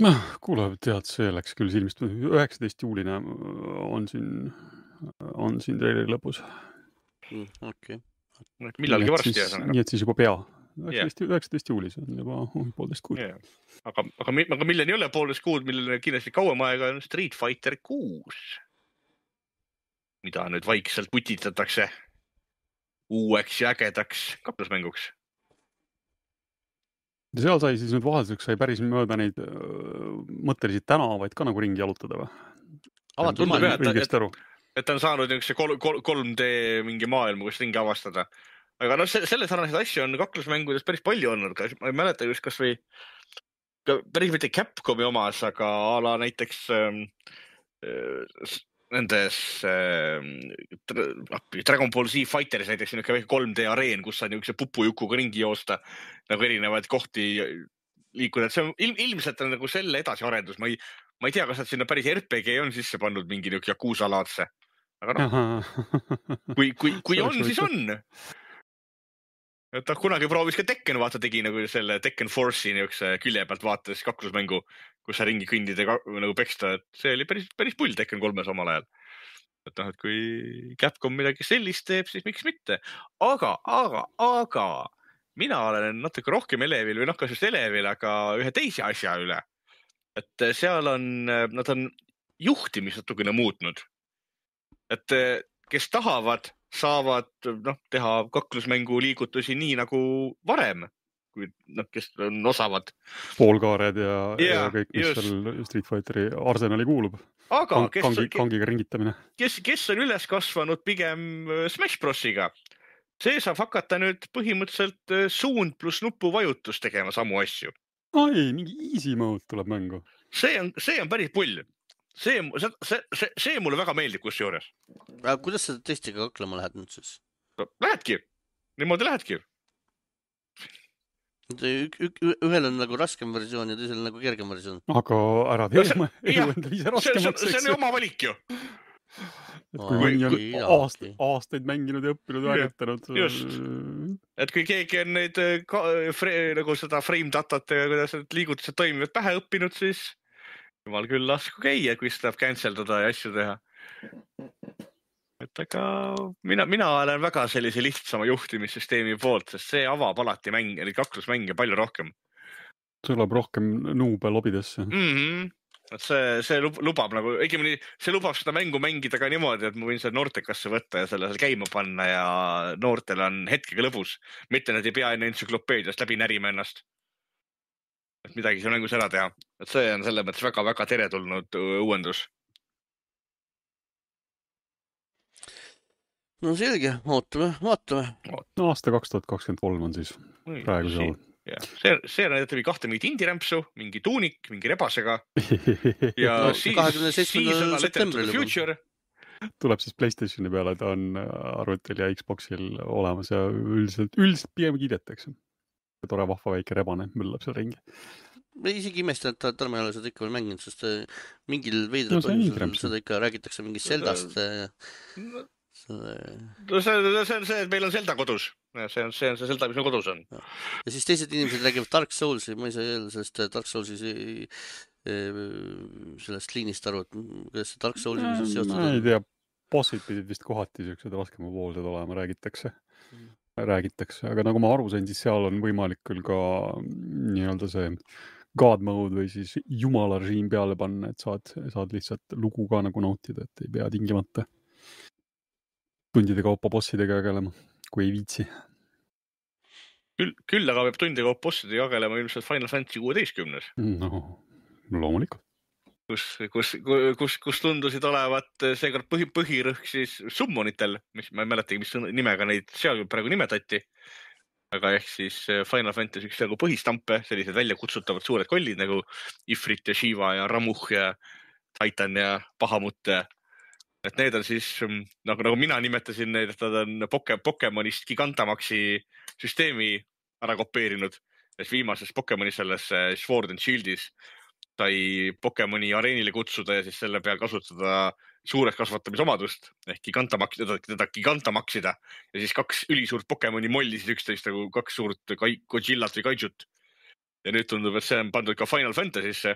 Noh, kuule, tead, see läks küll silmist. üheksateist juuline on siin, on siin treileri lõpus. Mm, okay. Millalgi varsti. Siis, nii et siis juba pea. üheksateist juulis on juba poolteist kuud. Yeah. Aga, aga, aga millal ei ole poolteist kuud, millal kindlasti kauem aega on Street Fighter kuus. Mida nüüd vaikselt putitatakse uueks ja ägedaks kaplasmänguks. Ja seal sai siis nüüd vahelduseks sai päris mööda neid öö, mõttelisi tänavaid ka nagu ringi jalutada või? Tundub jah, et, et, et on saanud niisuguse kol, kol, kolm D mingi maailma, kus ringi avastada. Aga no selle sarnaseid asju on kaklusmängudes päris palju olnud. Ma ei mäleta just kas või päris mitte Capcomi omas, aga a la näiteks ähm, äh, nendes äh, Dragon Ball Z Fighteris näiteks niisugune väike kolm D areen, kus saad niisuguse pupujukuga ringi joosta nagu erinevaid kohti liikuda. See on, il, ilmselt on nagu selle edasiarendus. Ma ei, ma ei tea, kas nad sinna päris R P G on sisse pannud mingi niisugune Yakuza-laadse. Aga noh, kui, kui, kui on, siis on. Et ta kunagi proovis ka Tekken, vaata tegi nagu selle Tekken Force'i niisuguse külje pealt vaates kaklusmängu, kus sa ringi kõndid ja nagu peksta. Et see oli päris, päris pull Tekken kolmes omal ajal. Et noh, et kui Capcom midagi sellist teeb, siis miks mitte. Aga, aga, aga mina olen natuke rohkem elevil või noh, kas just elevil, aga ühe teise asja üle. Et seal on, nad on juhtimist natukene muutnud. Et kes tahavad, saavad noh, teha kaklusmängu liigutusi nii nagu varem, kui noh, kes on osavad. Poolkaared ja, yeah, ja kõik, mis just. Seal Street Fighteri arsenali kuulub. Aga Kang, kes, kangi, kangiga ringitamine. Kes, kes on üles kasvanud pigem Smash Brosiga, see saab hakata nüüd põhimõtteliselt suund pluss nupuvajutus tegema samu asju. Ai, mingi easy mode tuleb mängu. See on, see on päris pull. See, see, see, see mulle väga meeldib kus juures. Aga kuidas sa testiga kaklema lähed nüüd siis? Lähedki. Niimoodi lähedki. Ühel on nagu raskem versioon ja teisel on nagu kergem versioon. Aga ära tee no, elu enda ise raskemaks. See, see, see on oma valik ju. Et kui mõni on aast, aastaid mänginud ja õppinud ja harjutanud. Just. Et kui keegi on neid ka, fre, nagu seda frame datat ja kuidas liigutused toimivad pähe õppinud, siis jumal küll lasku käia, kui seda canceldada ja asju teha. Et aga mina, mina olen väga sellise lihtsama juhtimissüsteemi poolt, sest see avab alati mäng, kaklusmänge palju rohkem. Tuleb rohkem nuube lobidesse. Mm-hmm. et see, see lubab nagu, õigemini see lubab seda mängu mängida ka niimoodi, et ma võin selle Nortekasse võtta ja selle käima panna ja noortel on hetkega lõbus. Mitte nad ei pea enne entsüklopeediast läbi närima ennast. Et midagi see mängus ära teha. Et see on selle mõttes väga-väga teretulnud uuendus. No selge, ootame, vaatame. No aasta kaks tuhat kakskümmend kolm on siis praegu seal. Ja. See, see näitab kahte mingit indirämpsu, mingi tuunik, mingi rebasega ja No, siis, kahekümne siis seitsmendal on septembril juba. Future. Tuleb siis PlayStationi peale, ta on arvutil ja Xboxil olemas ja üldiselt, üldiselt pigem kiidetakse. Tore vahva väike rebane müllab seal ringi. Ma isegi imestan, et Tarmo ei ole seda ikka veel mänginud, sest mingil veidral No see on põhjusel indirämpsu. seda ikka räägitakse mingist Zeldast. No Selle... see, see on see, et meil on Zelda kodus. See on see, on see Zelda, mis meil kodus on. Ja siis teised inimesed räägivad Dark Soulsi, ma ei saa öelda, sest Dark Soulsi ei, sellest liinist aru, et kuidas see Dark Soulsi Ma seotud ei on. tea, bossid pidid vist kohati siuksed raskemapoolsed olema, räägitakse. Räägitakse, aga nagu ma aru sain, siis seal on võimalik küll ka nii-öelda see God mode või siis jumala režiim peale panna, et saad, saad lihtsalt lugu ka nagu nautida, et ei pea tingimata tundide kaupa bossidega jagelema, kui ei viitsi. Küll, küll aga peab tundide kaupa bossidega jagelema ilmselt Final Fantasy kuueteistkümnes. No, loomulikult. Kus, kus, kus, kus tundusid olevat seekord põhi, põhirõhk siis summonitel, mis ma ei mäletagi, mis nimega neid seal praegu nimetati. Aga ehk siis Final Fantasy üks nagu põhistampe, sellised välja kutsutavad suured kollid nagu Ifrit ja Shiva ja Ramuh ja Titan ja Bahamut. Et need on siis, nagu, nagu mina nimetasin neid, et nad on Pokemonist Gigantamaxi süsteemi ära kopeerinud. Et viimases Pokemonis selles Sword and Shieldis sai Pokemoni areenile kutsuda ja siis selle peal kasutada suureks kasvatamisomadust ehk Gigantamax, teda, teda Gigantamaxida ja siis kaks ülisuurt Pokemoni molli siis üksteist nagu kaks suurt Godzillat või Kaijut. Ja nüüd tundub, et see on pandud ka Final Fantasy'sse.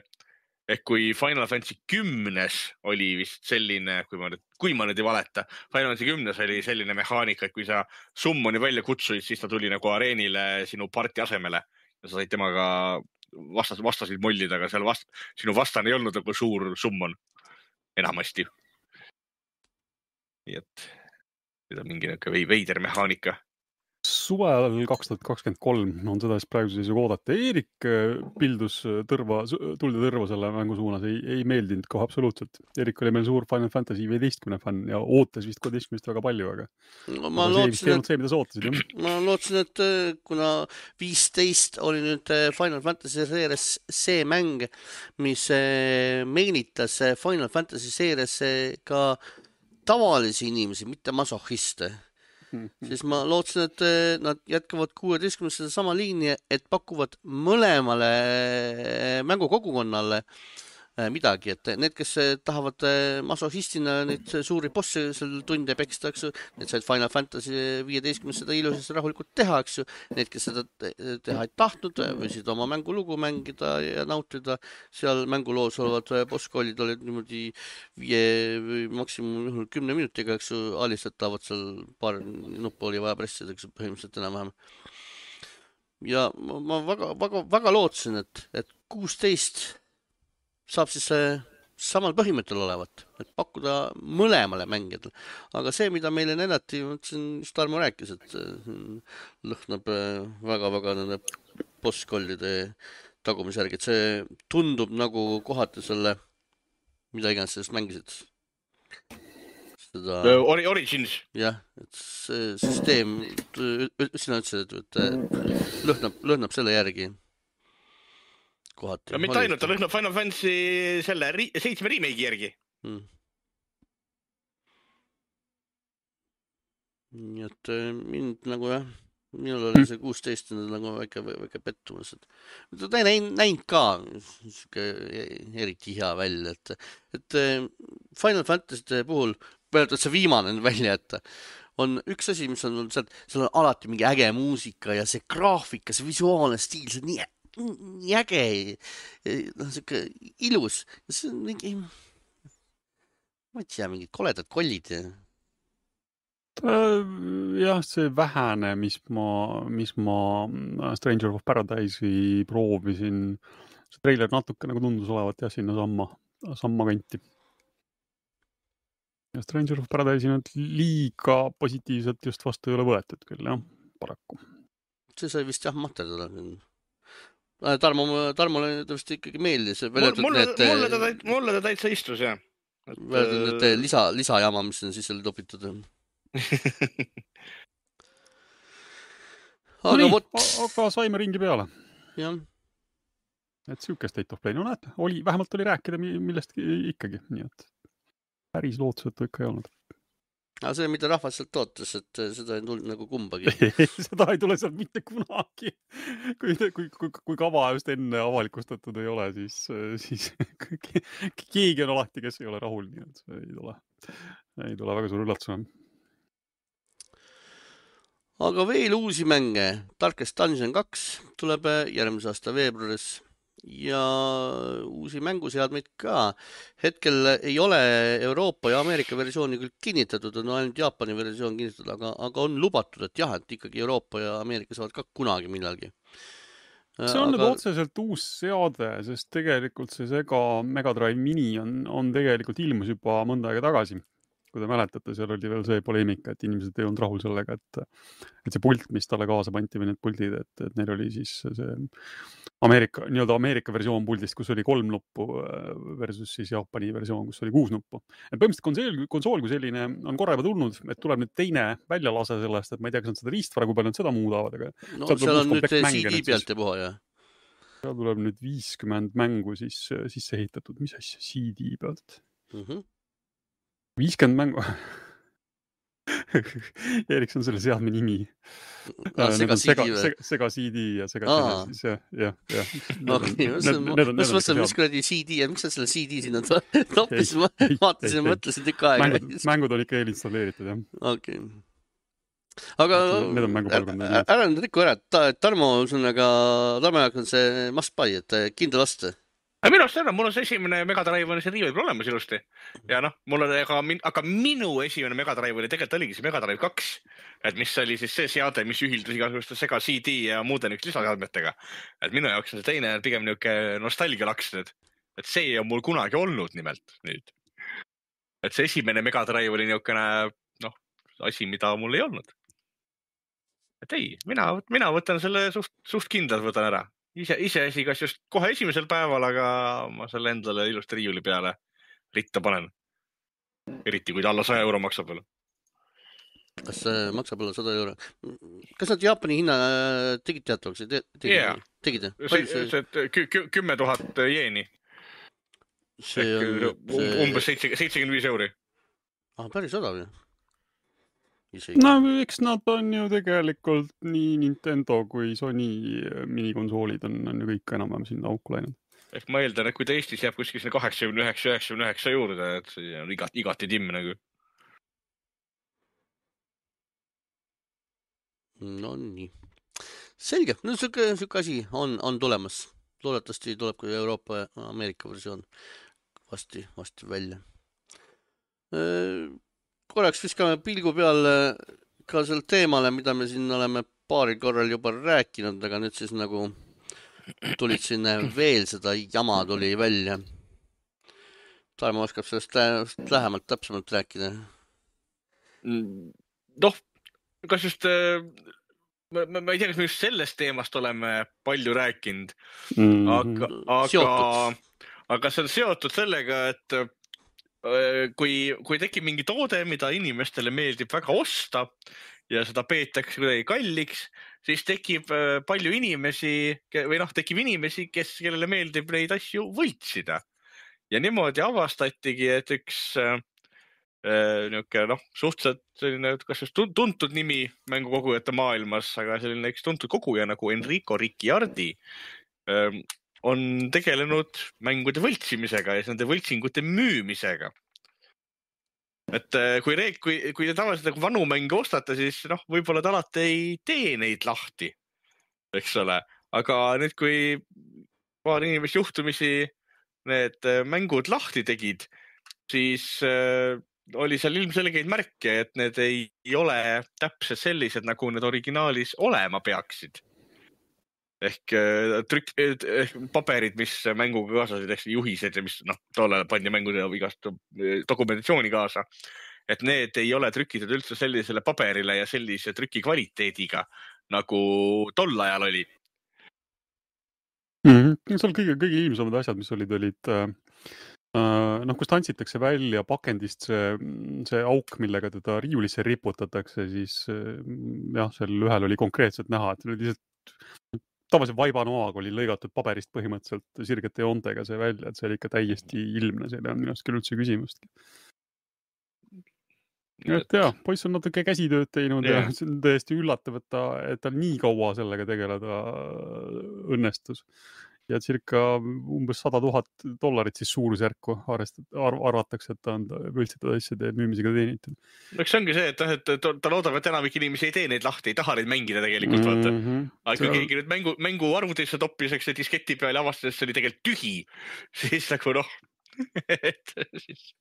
Ehk kui Final Fantasy kümnes oli vist selline, kui ma nüüd, kui ma nüüd ei valeta, Final Fantasy kümnes oli selline mehaanika, et kui sa summoni välja kutsuid, siis ta tuli nagu areenile sinu parti asemele ja sa said temaga vastas, vastasid mollid, aga seal vast, sinu vastane ei olnud nagu suur summon enamasti. Nii et seda mingi veider mehaanika. Suvel kaks tuhat kakskümmend kolm on seda siis praegu siis oodata. Eerik pildus tõrva, tulde tõrva selle mängu suunas, ei, ei meeldinud kohe absoluutselt. Eerik oli meil suur Final Fantasy viieteistkümne fänn ja ootas vist kuueteistkümnest väga palju, aga, no, ma, aga lootsin, see ei et, see, mida sa ootasid. Jah? ma lootsin, et kuna viisteist oli nüüd Final Fantasy seeres see mäng, mis meenitas Final Fantasy seeres ka tavalisi inimesi, mitte masohhiste. Siis ma lootsin, et nad jätkavad kuueteistkümnes seda sama liini, et pakuvad mõlemale mängukogukonnale midagi, et need, kes tahavad masohistina neid suuri bosse seal tunde peksta, eks ju, need said Final Fantasy viieteistkümnes seda ilusasti rahulikult teha, eks ju, need, kes seda teha ei tahtnud, võisid oma mängulugu mängida ja nautida, seal mänguloos olevad bosskollid olid niimoodi viie või maksimum juhul kümne minutiga, eks ju, alistatavad seal paar nuppu oli vaja pressida, eks ju, põhimõtteliselt enam-vähem. Ja ma, ma väga, väga, väga lootsin, et, et kuusteist saab siis samal põhimõttel olevat, et pakkuda mõlemale mängijatele. Aga see, mida meile näidati, mõtlesin, just Tarmo rääkis, et lõhnab väga-väga nende bosskollide tagumise järgi, et see tundub nagu kohati selle, mida iganes sellest mängisid. Seda... Origins. Jah, et see süsteem, sina ütlesid, et lõhnab, lõhnab selle järgi. Kohati. Ja mitte ainult, ta lõhnab Final Fantasy selle ri seitsme remake'i järgi. Hmm. Nii et mind nagu jah, minul oli see kuusteist nagu väike, väike pettumus. Ta ei näinud ka eriti hea välja, et, et Final Fantasy puhul, pealt see viimane välja, et on üks asi, mis on seal, seal on alati mingi äge muusika ja see graafika, see visuaalne stiil, see nii nii äge, siuke ilus. See on mingi, ma ei tea, mingid koledad kollid. Jah, see vähene, mis ma, mis ma Stranger of Paradise'i proovisin see treiler natuke nagu tundus olevat jah, sinna samma, samma kanti. Ja Stranger of Paradise'i nüüd liiga positiivselt just vastu ei ole võetud küll, jah, paraku. See sai vist jah materdada. Tarmo, Tarmole ta vist ikkagi meeldis. Mulle, mulle, mulle, ta, mulle ta täitsa istus, jah. Väärtud need lisa, lisajama, mis on siis seal topitud. Aga, no nii, võt... aga saime ringi peale. Jah. Et siuke State of Play, no näed, oli, vähemalt oli rääkida millest ikkagi, nii et päris lootusetu ikka ei olnud. Aga see, mida rahvas sealt tootas, et seda ei tulnud nagu kumbagi. Seda ei tule sealt mitte kunagi. Kui, kui, kui, kui kava just enne avalikustatud ei ole, siis, siis keegi on alati, kes ei ole rahul, nii et see ei tule, ei tule väga suur üllatusena. Aga veel uusi mänge. Darkest Dungeon kaks tuleb järgmise aasta veebruaris ja uusi mänguseadmeid ka. Hetkel ei ole Euroopa ja Ameerika versiooni küll kinnitatud, on ainult Jaapani versioon kinnitatud, aga, aga on lubatud, et jah, et ikkagi Euroopa ja Ameerika saavad ka kunagi millalgi. See on aga... nüüd otseselt uus seade, sest tegelikult see Sega Mega Drive Mini on, on tegelikult ilmus juba mõnda aega tagasi. Kui te mäletate, seal oli veel see poleemika, et inimesed ei olnud rahul sellega, et, et see pult, mis talle kaasa panti või need puldid, et, et neil oli siis see Ameerika, nii-öelda Ameerika versioon puldist, kus oli kolm nuppu versus siis Jaapani versioon, kus oli kuus nuppu. Et põhimõtteliselt konsool, konsool kui selline on korra juba tulnud, et tuleb nüüd teine väljalase sellest, et ma ei tea, kas on seda riistvara, kui palju nad seda muudavad, aga no seal on nüüd C D pealt ja puha, jah. Seal tuleb nüüd viiskümmend mängu siis sisse ehitatud, mis asja C D pealt? Mhm. viiskümmend mängu. Erik, see on selle seadme nimi. Ah, sega C D või? Sega C D ja Sega Genesis, jah, jah, jah. Okei, mis mõtlen, mis kuradi C D ja miks sa selle C D sinna toppis? Ma vaatasin ja mõtlesin tükk aega. Mängud on ikka eelinstalleeritud, jah. Okei. Aga ära nüüd rikku ära, Tarmo, Tarmo jaoks on see must buy, et kindel osta. Minu arust ära, mul on see esimene Mega Drive on see riivel olemas ilusti. Ja noh, mul on, aga, aga minu esimene Mega Drive oli tegelikult oligi see Mega Drive kaks, et mis oli siis see seade, mis ühildus igasuguste Sega C D ja muude üks lisaseadmetega. Et minu jaoks on see teine pigem niuke nostalgia laks nüüd. Et see on mul kunagi olnud nimelt nüüd. Et see esimene Mega Drive oli niukene, noh, asi, mida mul ei olnud. Et ei, mina, mina võtan selle suht, suht kindlalt võtan ära. Ise, ise esi, kas just kohe esimesel päeval, aga ma selle endale ilusti riiuli peale ritta panen. Eriti, kui ta alla saja euro maksab veel. Kas see maksab alla sada euro? Kas nad Jaapani hinna tegid teatavaks? Yeah. Tegid? See, see kümme tuhat jeeni. See on... Umbes seitsekümmend viis euri. Ah, päris odav, jah. No, eks nad on ju tegelikult nii Nintendo kui Sony minikonsoolid on, on ju kõik enam-vähem sinna auku läinud. Ehk ma eeldan, et kui ta Eestis jääb kuskil sinna kaheksakümmend üheksa üheksakümmend üheksa juurde, et see on igati, igati timm nagu. No nii. Selge, no süke, süke asi on, on tulemas. Loodetavasti tuleb kui Euroopa ja Ameerika versioon vasti, vasti välja. Korraks viskame pilgu peale ka selle teemale, mida me siin oleme paari korral juba rääkinud, aga nüüd siis nagu tulid siin veel seda jama tuli välja. Tarmo oskab sellest lähemalt täpsemalt rääkida. Noh, kas just, ma, ma ei tea, kas me just sellest teemast oleme palju rääkinud, aga, aga, aga see on seotud sellega, et Kui, kui tekib mingi toode, mida inimestele meeldib väga osta ja seda peetakse kuidagi kalliks, siis tekib palju inimesi või noh, tekib inimesi, kes, kellele meeldib neid asju võltsida. Ja niimoodi avastatigi, et üks äh, niuke, noh, suhteliselt selline, kas just tuntud nimi mängukogujate maailmas, aga selline üks tuntud koguja nagu Enrico Ricciardi äh, on tegelenud mängude võltsimisega ja nende võltsingute müümisega. Et kui, kui, kui te tavaliselt vanu mänge ostate, siis noh, võib-olla te alati ei tee neid lahti, eks ole. Aga nüüd, kui paar inimest juhtumisi need mängud lahti tegid, siis äh, oli seal ilmselgeid märke, et need ei, ei ole täpselt sellised, nagu need originaalis olema peaksid. ehk trükk, ehk paberid, mis mänguga kaasasid, ehk juhised ja mis noh, tolle pandi mängude igast dokumentatsiooni kaasa. Et need ei ole trükitud üldse sellisele paberile ja sellise trüki kvaliteediga, nagu tol ajal oli. Mm-hmm. Seal kõige, kõige ilmsamad asjad, mis olid, olid äh, noh, kus tantsitakse välja pakendist see, see auk, millega teda riiulisse riputatakse, siis jah, seal ühel oli konkreetselt näha, et lihtsalt tavalise vaibanoaga oli lõigatud paberist põhimõtteliselt sirgete joontega see välja, et see oli ikka täiesti ilmne, see on minu arust küll üldse küsimustki. Et jah, poiss on natuke käsitööd teinud yeah. ja see on täiesti üllatav, et ta, et ta nii kaua sellega tegeleda õnnestus. Ja cirka umbes sada tuhat dollarit siis suurusjärku arvatakse, et ta on võltsitud asjade müümisega teenitud. No see ongi see, et, et ta loodab, et enamik inimesi ei tee neid lahti, ei taha neid mängida tegelikult. Vaata. Mm-hmm. Aga kui keegi nüüd mängu, mängu arvutisse toppiseks ja disketi peal ja avastades see oli tegelikult tühi, siis nagu noh, et siis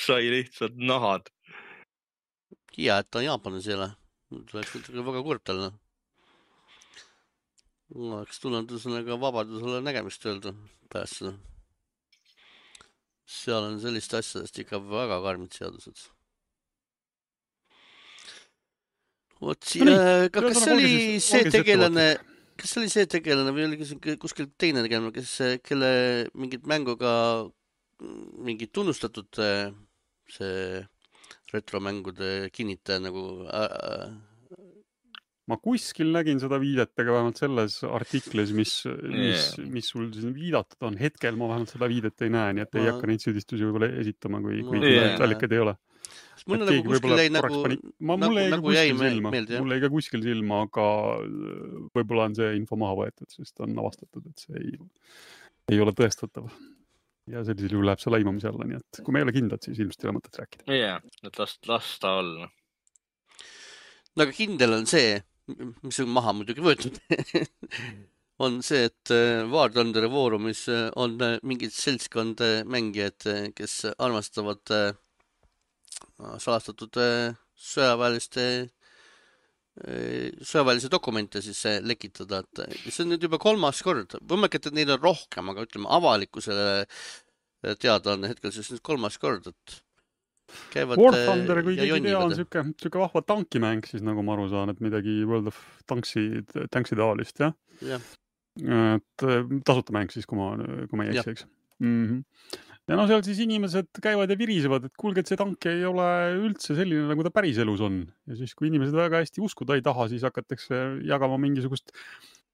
sai lihtsalt nahad. Ja, et ta Jaapanis ei ole. Tuleks väga kurb talle. Oleks tulnud sellega vabadusele nägemist öelda pääst seda. Seal on sellist asjadest ikka väga karmid seadused. Oot, siia, kas see oli see tegelane, kas see oli see tegelane või oli kuskil teine tegelane, kes, kelle mingit mänguga, mingit tunnustatud see retromängude kinnitaja nagu äh, ma kuskil nägin seda viidet, aga vähemalt selles artiklis, mis, mis, mis sul siin viidatud on. Hetkel ma vähemalt seda viidet ei näe, nii et ma... ei hakka neid süüdistusi võib-olla esitama, kui, kui yeah. Vällikad ei ole. Mul nagu kuskil jäi nagu... Pani... Ma, nagu, mulle nagu jäi jäi silma. meelde. Mulle jäi ka kuskil silma, aga võib-olla on see info maha võetud, sest on avastatud, et see ei, ei ole tõestatav. Ja sellisel juhul läheb see laimamise alla, nii et kui me ei ole kindlad, siis ilmselt ei ole mõtet rääkida. Jah, yeah, et las, las ta olla. No aga kindel on see, mis on maha muidugi võetud, on see, et War Thunderi foorumis on mingid seltskond mängijad, kes armastavad salastatud sõjaväeliste, sõjaväelise dokumente siis lekitada. Et see on nüüd juba kolmas kord. Võimalik, et neid on rohkem, aga ütleme avalikkusele teada on hetkel siis nüüd kolmas kord, et käivad War Thunder, kui keegi tea, on siuke, siuke vahva tankimäng, siis nagu ma aru saan, et midagi World of Tanksi, tanksi taolist, jah? Ja. Et tasuta mäng siis, kui ma, kui ma ei eksi, eks. Mm-hmm. Ja no seal siis inimesed käivad ja virisevad, et kuulge, et see tank ei ole üldse selline, nagu ta päris elus on. Ja siis, kui inimesed väga hästi uskuda ei taha, siis hakatakse jagama mingisugust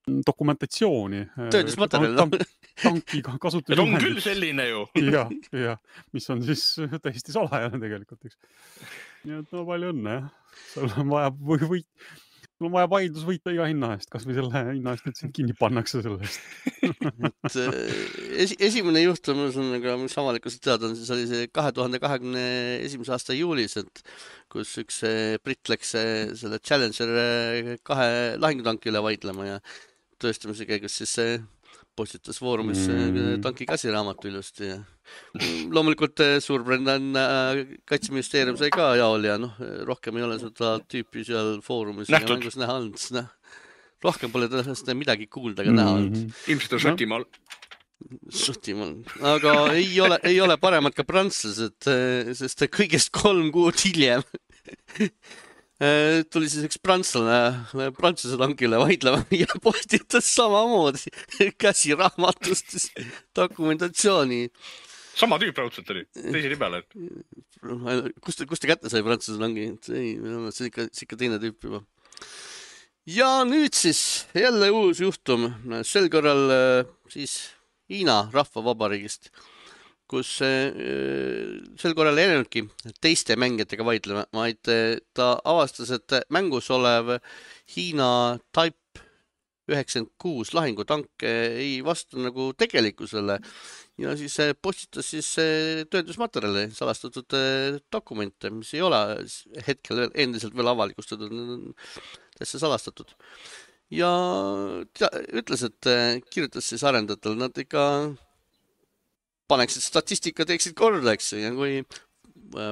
dokumentatsiooni. Tõendusmaterjal. Tank, tanki kasutus. on küll selline ju. Ja, ja, mis on siis täiesti salajane tegelikult. Eks. Ja et no palju õnne, jah. Sul on vaja, või, või, sul on vaja vaidlus võita iga hinna eest. Kas või selle hinna eest nüüd siin kinni pannakse selle eest. es, esimene juhtum, mis avalikkuselt teada on, siis oli see kahe tuhande kahekümne esimese aasta juulis, et kus üks Brit läks selle Challenger kahe lahingutanki üle vaidlema ja tõestamise käigus siis see postitas foorumis mm. tanki käsiraamatu ilusti ja loomulikult Suurbritannia kaitseministeerium sai ka jaol ja noh, rohkem ei ole seda tüüpi seal foorumis Nähtud. ja mängus näha olnud. Noh, rohkem pole tõesti midagi kuulda ega näha olnud. Mm. Ilmselt on Šotimaal. Šotimaal. Aga ei ole, ei ole paremad ka prantslased, sest kõigest kolm kuud hiljem tuli siis üks prantslane prantsuse tankile vaidlema ja postitas samamoodi käsiraamatust dokumentatsiooni. Sama tüüp raudselt oli, teise nimele. Kust, kust te kätte sai prantsuse tangi? Ei, see on ikka, see ikka teine tüüp juba. Ja nüüd siis jälle uus juhtum. Sel korral siis Hiina rahvavabariigist, kus sel korral ei ennudki teiste mängijatega vaidlema, vaid ta avastas, et mängus olev Hiina Type üheksakümmend kuus lahingutank ei vasta nagu tegelikkusele ja siis postitas siis tõendusmaterjali, salastatud dokumente, mis ei ole hetkel endiselt veel avalikustatud, täitsa salastatud. Ja ta ütles, et kirjutas siis arendajatele, nad ikka paneksid statistika, teeksid korda, eks, ja kui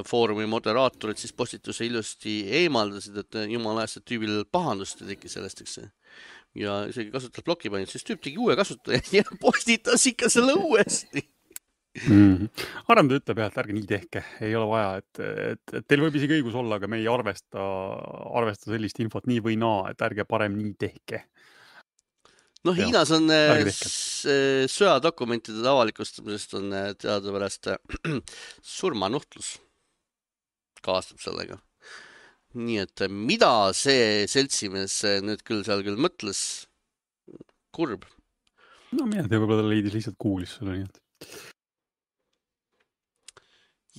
foorumi moderaatorid siis postituse ilusti eemaldasid, et jumala eest, et tüübil pahandust tegi sellest, eks. ja isegi kasutajad bloki panid, siis tüüp tegi uue kasutaja ja postitas ikka selle uuesti. Mm. Arendaja ütleb jah, et ärge nii tehke, ei ole vaja, et, et, et teil võib isegi õigus olla, aga me ei arvesta, arvesta sellist infot nii või naa, et ärge parem nii tehke. Noh, Ja, Hiinas on ärge tehke. sõjadokumentide avalikustamisest on teadupärast surmanuhtlus kaastab sellega. Nii et mida see seltsimees nüüd küll seal küll mõtles, kurb. No mina tea, võib-olla ta leidis lihtsalt kuulis sulle nii, et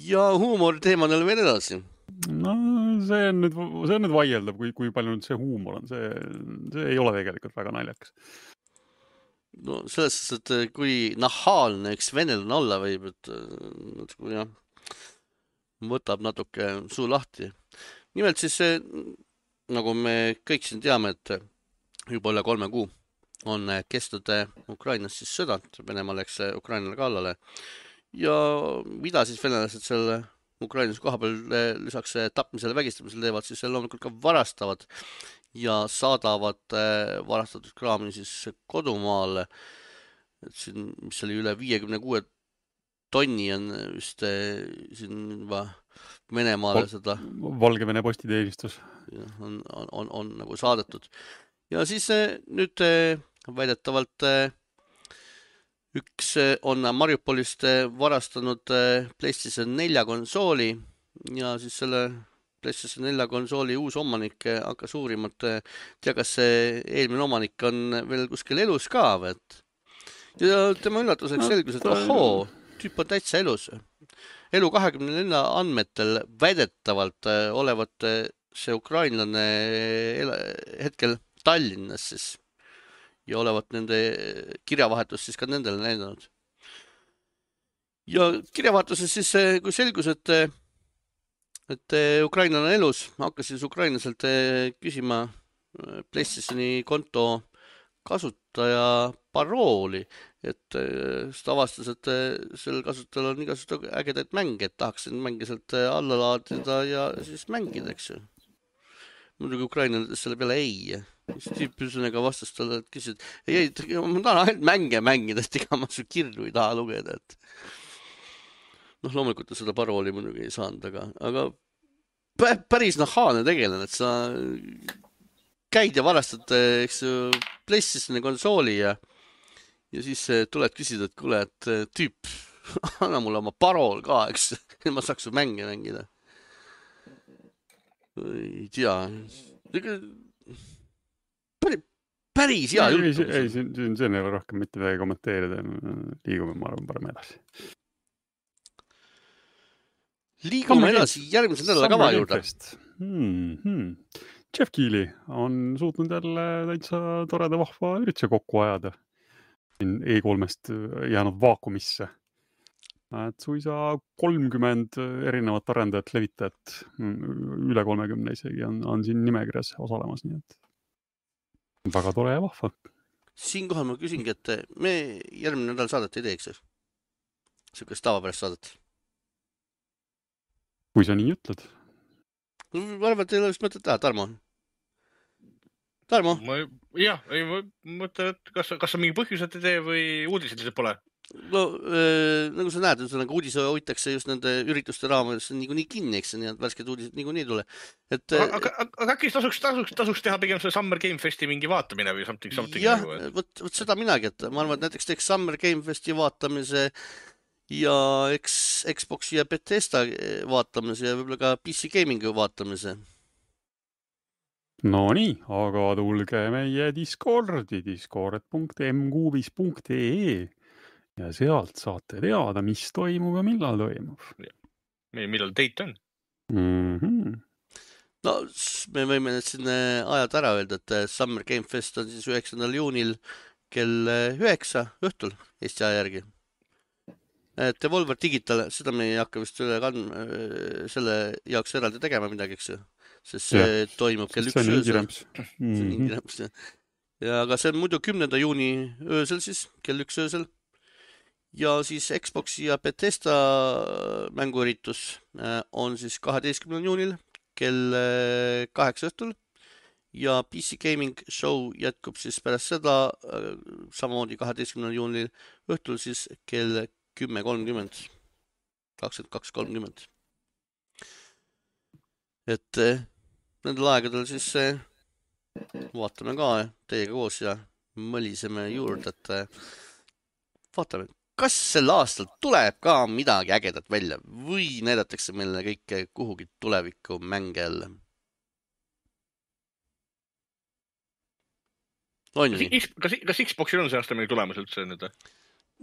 ja huumor teemadel veel edasi. no see on nüüd, see on nüüd vaieldav, kui, kui palju nüüd see huumor on, see, see ei ole tegelikult väga naljakas. No selles suhtes, et kui nahaalne üks venelane olla võib, et natuke, jah, võtab natuke suu lahti. Nimelt siis, nagu me kõik siin teame, et juba üle kolme kuu on kestnud Ukrainas siis sõda, Venemaa läks Ukrainale kallale. Ja mida siis venelased selle Ukrainas koha peal lisaks tapmisele vägistamisele teevad, siis loomulikult ka varastavad ja saadavad varastatud kraami siis kodumaale. Et siin, mis oli üle viiekümne kuue tonni on vist siin juba Venemaale seda Valgevene postiteenistus on, on, on, on nagu saadetud. Ja siis nüüd väidetavalt üks on Mariupolist varastanud PlayStation nelja konsooli ja siis selle PlayStation nelja konsooli uus omanik hakkas uurima, et tea, kas see eelmine omanik on veel kuskil elus ka või? Ja tema üllatuseks selgus, et ohoo, tüüp on täitsa elus. Elu kahekümne nelja andmetel väidetavalt olevat see ukrainlane hetkel Tallinnas siis ja olevat nende kirjavahetus siis ka nendele näidanud. Ja kirjavahetuses siis, kui selgus, et, et ukrainlane on elus, hakkas siis ukrainlaselt küsima PlayStationi konto kasutaja parooli, et seda avastas, et sel kasutajal on igasugused ägedaid mänge, et tahaksin mänge sealt alla laadida ja siis mängida, eks ju. Muidugi Ukraina selle peale ei. Siis tüüpilsõnaga vastas talle, et küsis, et ei, ei, ma tahan ainult mänge mängida, et ega ma su kirju ei taha lugeda. Et... noh, loomulikult ta seda parooli muidugi ei saanud, aga, aga päris nahaalne tegelane, et sa käid ja varastad, eks ju, PlayStationi konsooli ja, ja siis tuled küsida, et kuule, et tüüp, anna mulle oma parool ka, eks, et ma saaks su mänge mängida. Ei tea. Päris, päris hea jutt. Ei, siin, siin ei ole rohkem mitte midagi kommenteerida. Liigume, ma arvan, parem edasi. Liigume edasi järgmise nädala kava juurde. Hmm, hmm. Jeff Keighley on suutnud jälle täitsa toreda vahva ürituse kokku ajada. E kolmest jäänud vaakumisse. Et suisa kolmkümmend erinevat arendajat, levitajat, üle kolmekümne isegi on, on siin nimekirjas osalemas, nii et väga tore ja vahva. Siinkohal ma küsingi, et me järgmine nädal saadet ei teeks. Sükest tavapärast saadet. Kui sa nii ütled. Ma arvan, et ei ole vist mõtet teha, Tarmo. Tarmo? Ma, jah, ei, ma mõtlen, et kas, kas on mingi põhjus, et ei tee või uudised lihtsalt pole? No, äh, nagu sa näed, nagu uudise hoitakse just nende ürituste raames niiku nii kinni, eks nii, et värsked uudised niiku nii tule. Et, aga aga, aga äkki tasuks, tasuks, tasuks teha pigem see Summer Game Festi mingi vaatamine või something, something jah, nagu, et... võt, võt seda minagi, et ma arvan, et näiteks teeks Summer Game Festi vaatamise ja eks Xboxi ja Bethesda vaatamise ja võib-olla ka P C Gamingu vaatamise. No nii, aga tulge meie Discordi, discord punkt m kuus punkt e e ja sealt saate teada, mis toimub ja millal toimub. Millal date on? Mm-hmm. No, me võime nüüd siin ajad ära öelda, et Summer Game Fest on siis üheksandal juunil kell üheksa õhtul Eesti aja järgi. Devolver Digital, seda me ei hakka vist üle kandma, selle jaoks eraldi tegema midagi, eks ju. Sest see ja, toimub kell üks öösel. Mm-hmm. Ja, aga see on muidu kümnenda juuni öösel siis, kell üks öösel. Ja siis Xboxi ja Bethesda mänguüritus on siis kaheteistkümnendal juunil kell kaheksa õhtul. ja P C Gaming Show jätkub siis pärast seda äh, samamoodi kaheteistkümnendal juunil õhtul siis kell kümme kolmkümmend, kakskümmend kaks kolmkümmend. Et äh, nendel aegadel siis äh, vaatame ka teiega koos ja mõliseme juurde, et äh, vaatame, kas sel aastal tuleb ka midagi ägedat välja või näidatakse meile kõike kuhugi tulevikku mänge jälle. On kas, nii? kas, kas Xboxil on see aasta meil tulemas üldse nüüd?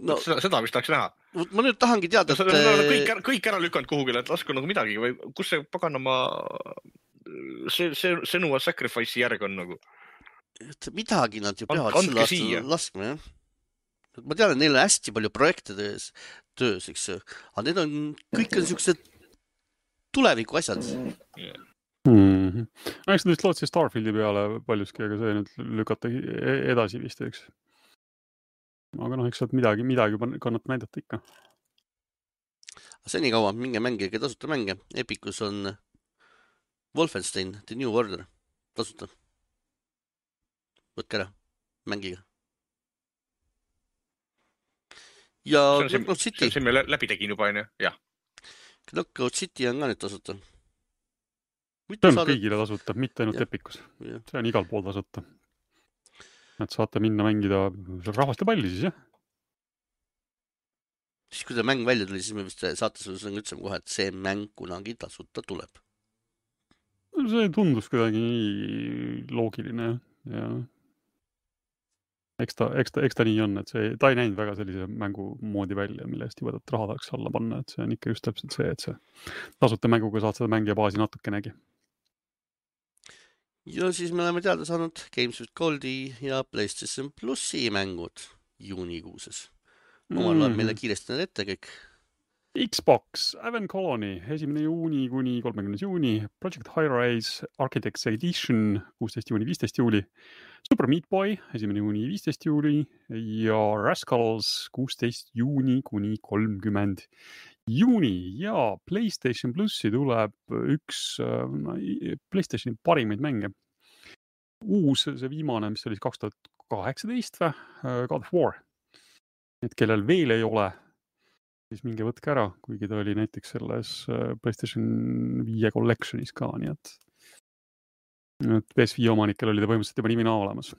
No, seda, seda vist tahaks näha. ma nüüd tahangi teada, et... Nad kõik, kõik ära lükanud kuhugile, et lasku nagu midagi või kus see paganama see, see, Senua Sacrifice'i järg on nagu? Et midagi nad ju peavad And, selle aasta laskma, jah. Ma tean, et neil on hästi palju projekte töös, töös, eks ju. Aga need on, kõik on sellised tuleviku asjad. Yeah. Mm-hmm. No, eks nad vist lootsi Starfieldi peale paljuski, aga see nüüd lükata edasi vist, eks. Aga noh, eks sealt midagi, midagi kannab näidata ikka. Seni kaua minge mängige tasuta mänge. Epicus on Wolfenstein, The New Order. Tasuta. Võtke ära. Mängiga. Ja Knockout City. See on me läbi tegin juba, on ju? Jah. Knockout City on ka nüüd tasuta. See on saada... kõigile tasuta, mitte ainult Epicus. See on igal pool tasuta. Et saate minna mängida rahvaste palli siis, jah? Siis kui see mäng välja tuli, siis me vist saate sulle ütlesime kohe, et see mäng kunagi tasuta tuleb. See tundus kuidagi nii loogiline ja eks ta, eks ta, eks ta nii on, et see, ta ei näinud väga sellise mängu moodi välja, mille eest juba raha tahaks alla panna, et see on ikka just täpselt see, et see tasuta mänguga saad seda mängija baasi natukenegi. Ja siis me oleme teada saanud Games with Goldi ja PlayStation Plussi mängud juunikuuses. Omal mm-hmm. meile kiiresti need ette kõik. Xbox, Aven Colony, esimene juuni kuni kolmekümnes juuni, Project Hi-Rise, Architects Edition, kuusteist juuni, viisteist juuli, Super Meat Boy, esimene juuni, viisteist juuli ja Rascals, kuusteist juuni kuni kolmkümmend juuni ja PlayStation Plussi tuleb üks no, PlayStationi parimaid mänge. Uus, see viimane, mis oli kaks tuhat kaheksateist või? God of War. Et kellel veel ei ole, siis minge võtke ära, kuigi ta oli näiteks selles PlayStation viie Collectionis ka, nii et et P S viie omanikel oli ta põhimõtteliselt juba nimi naa olemas.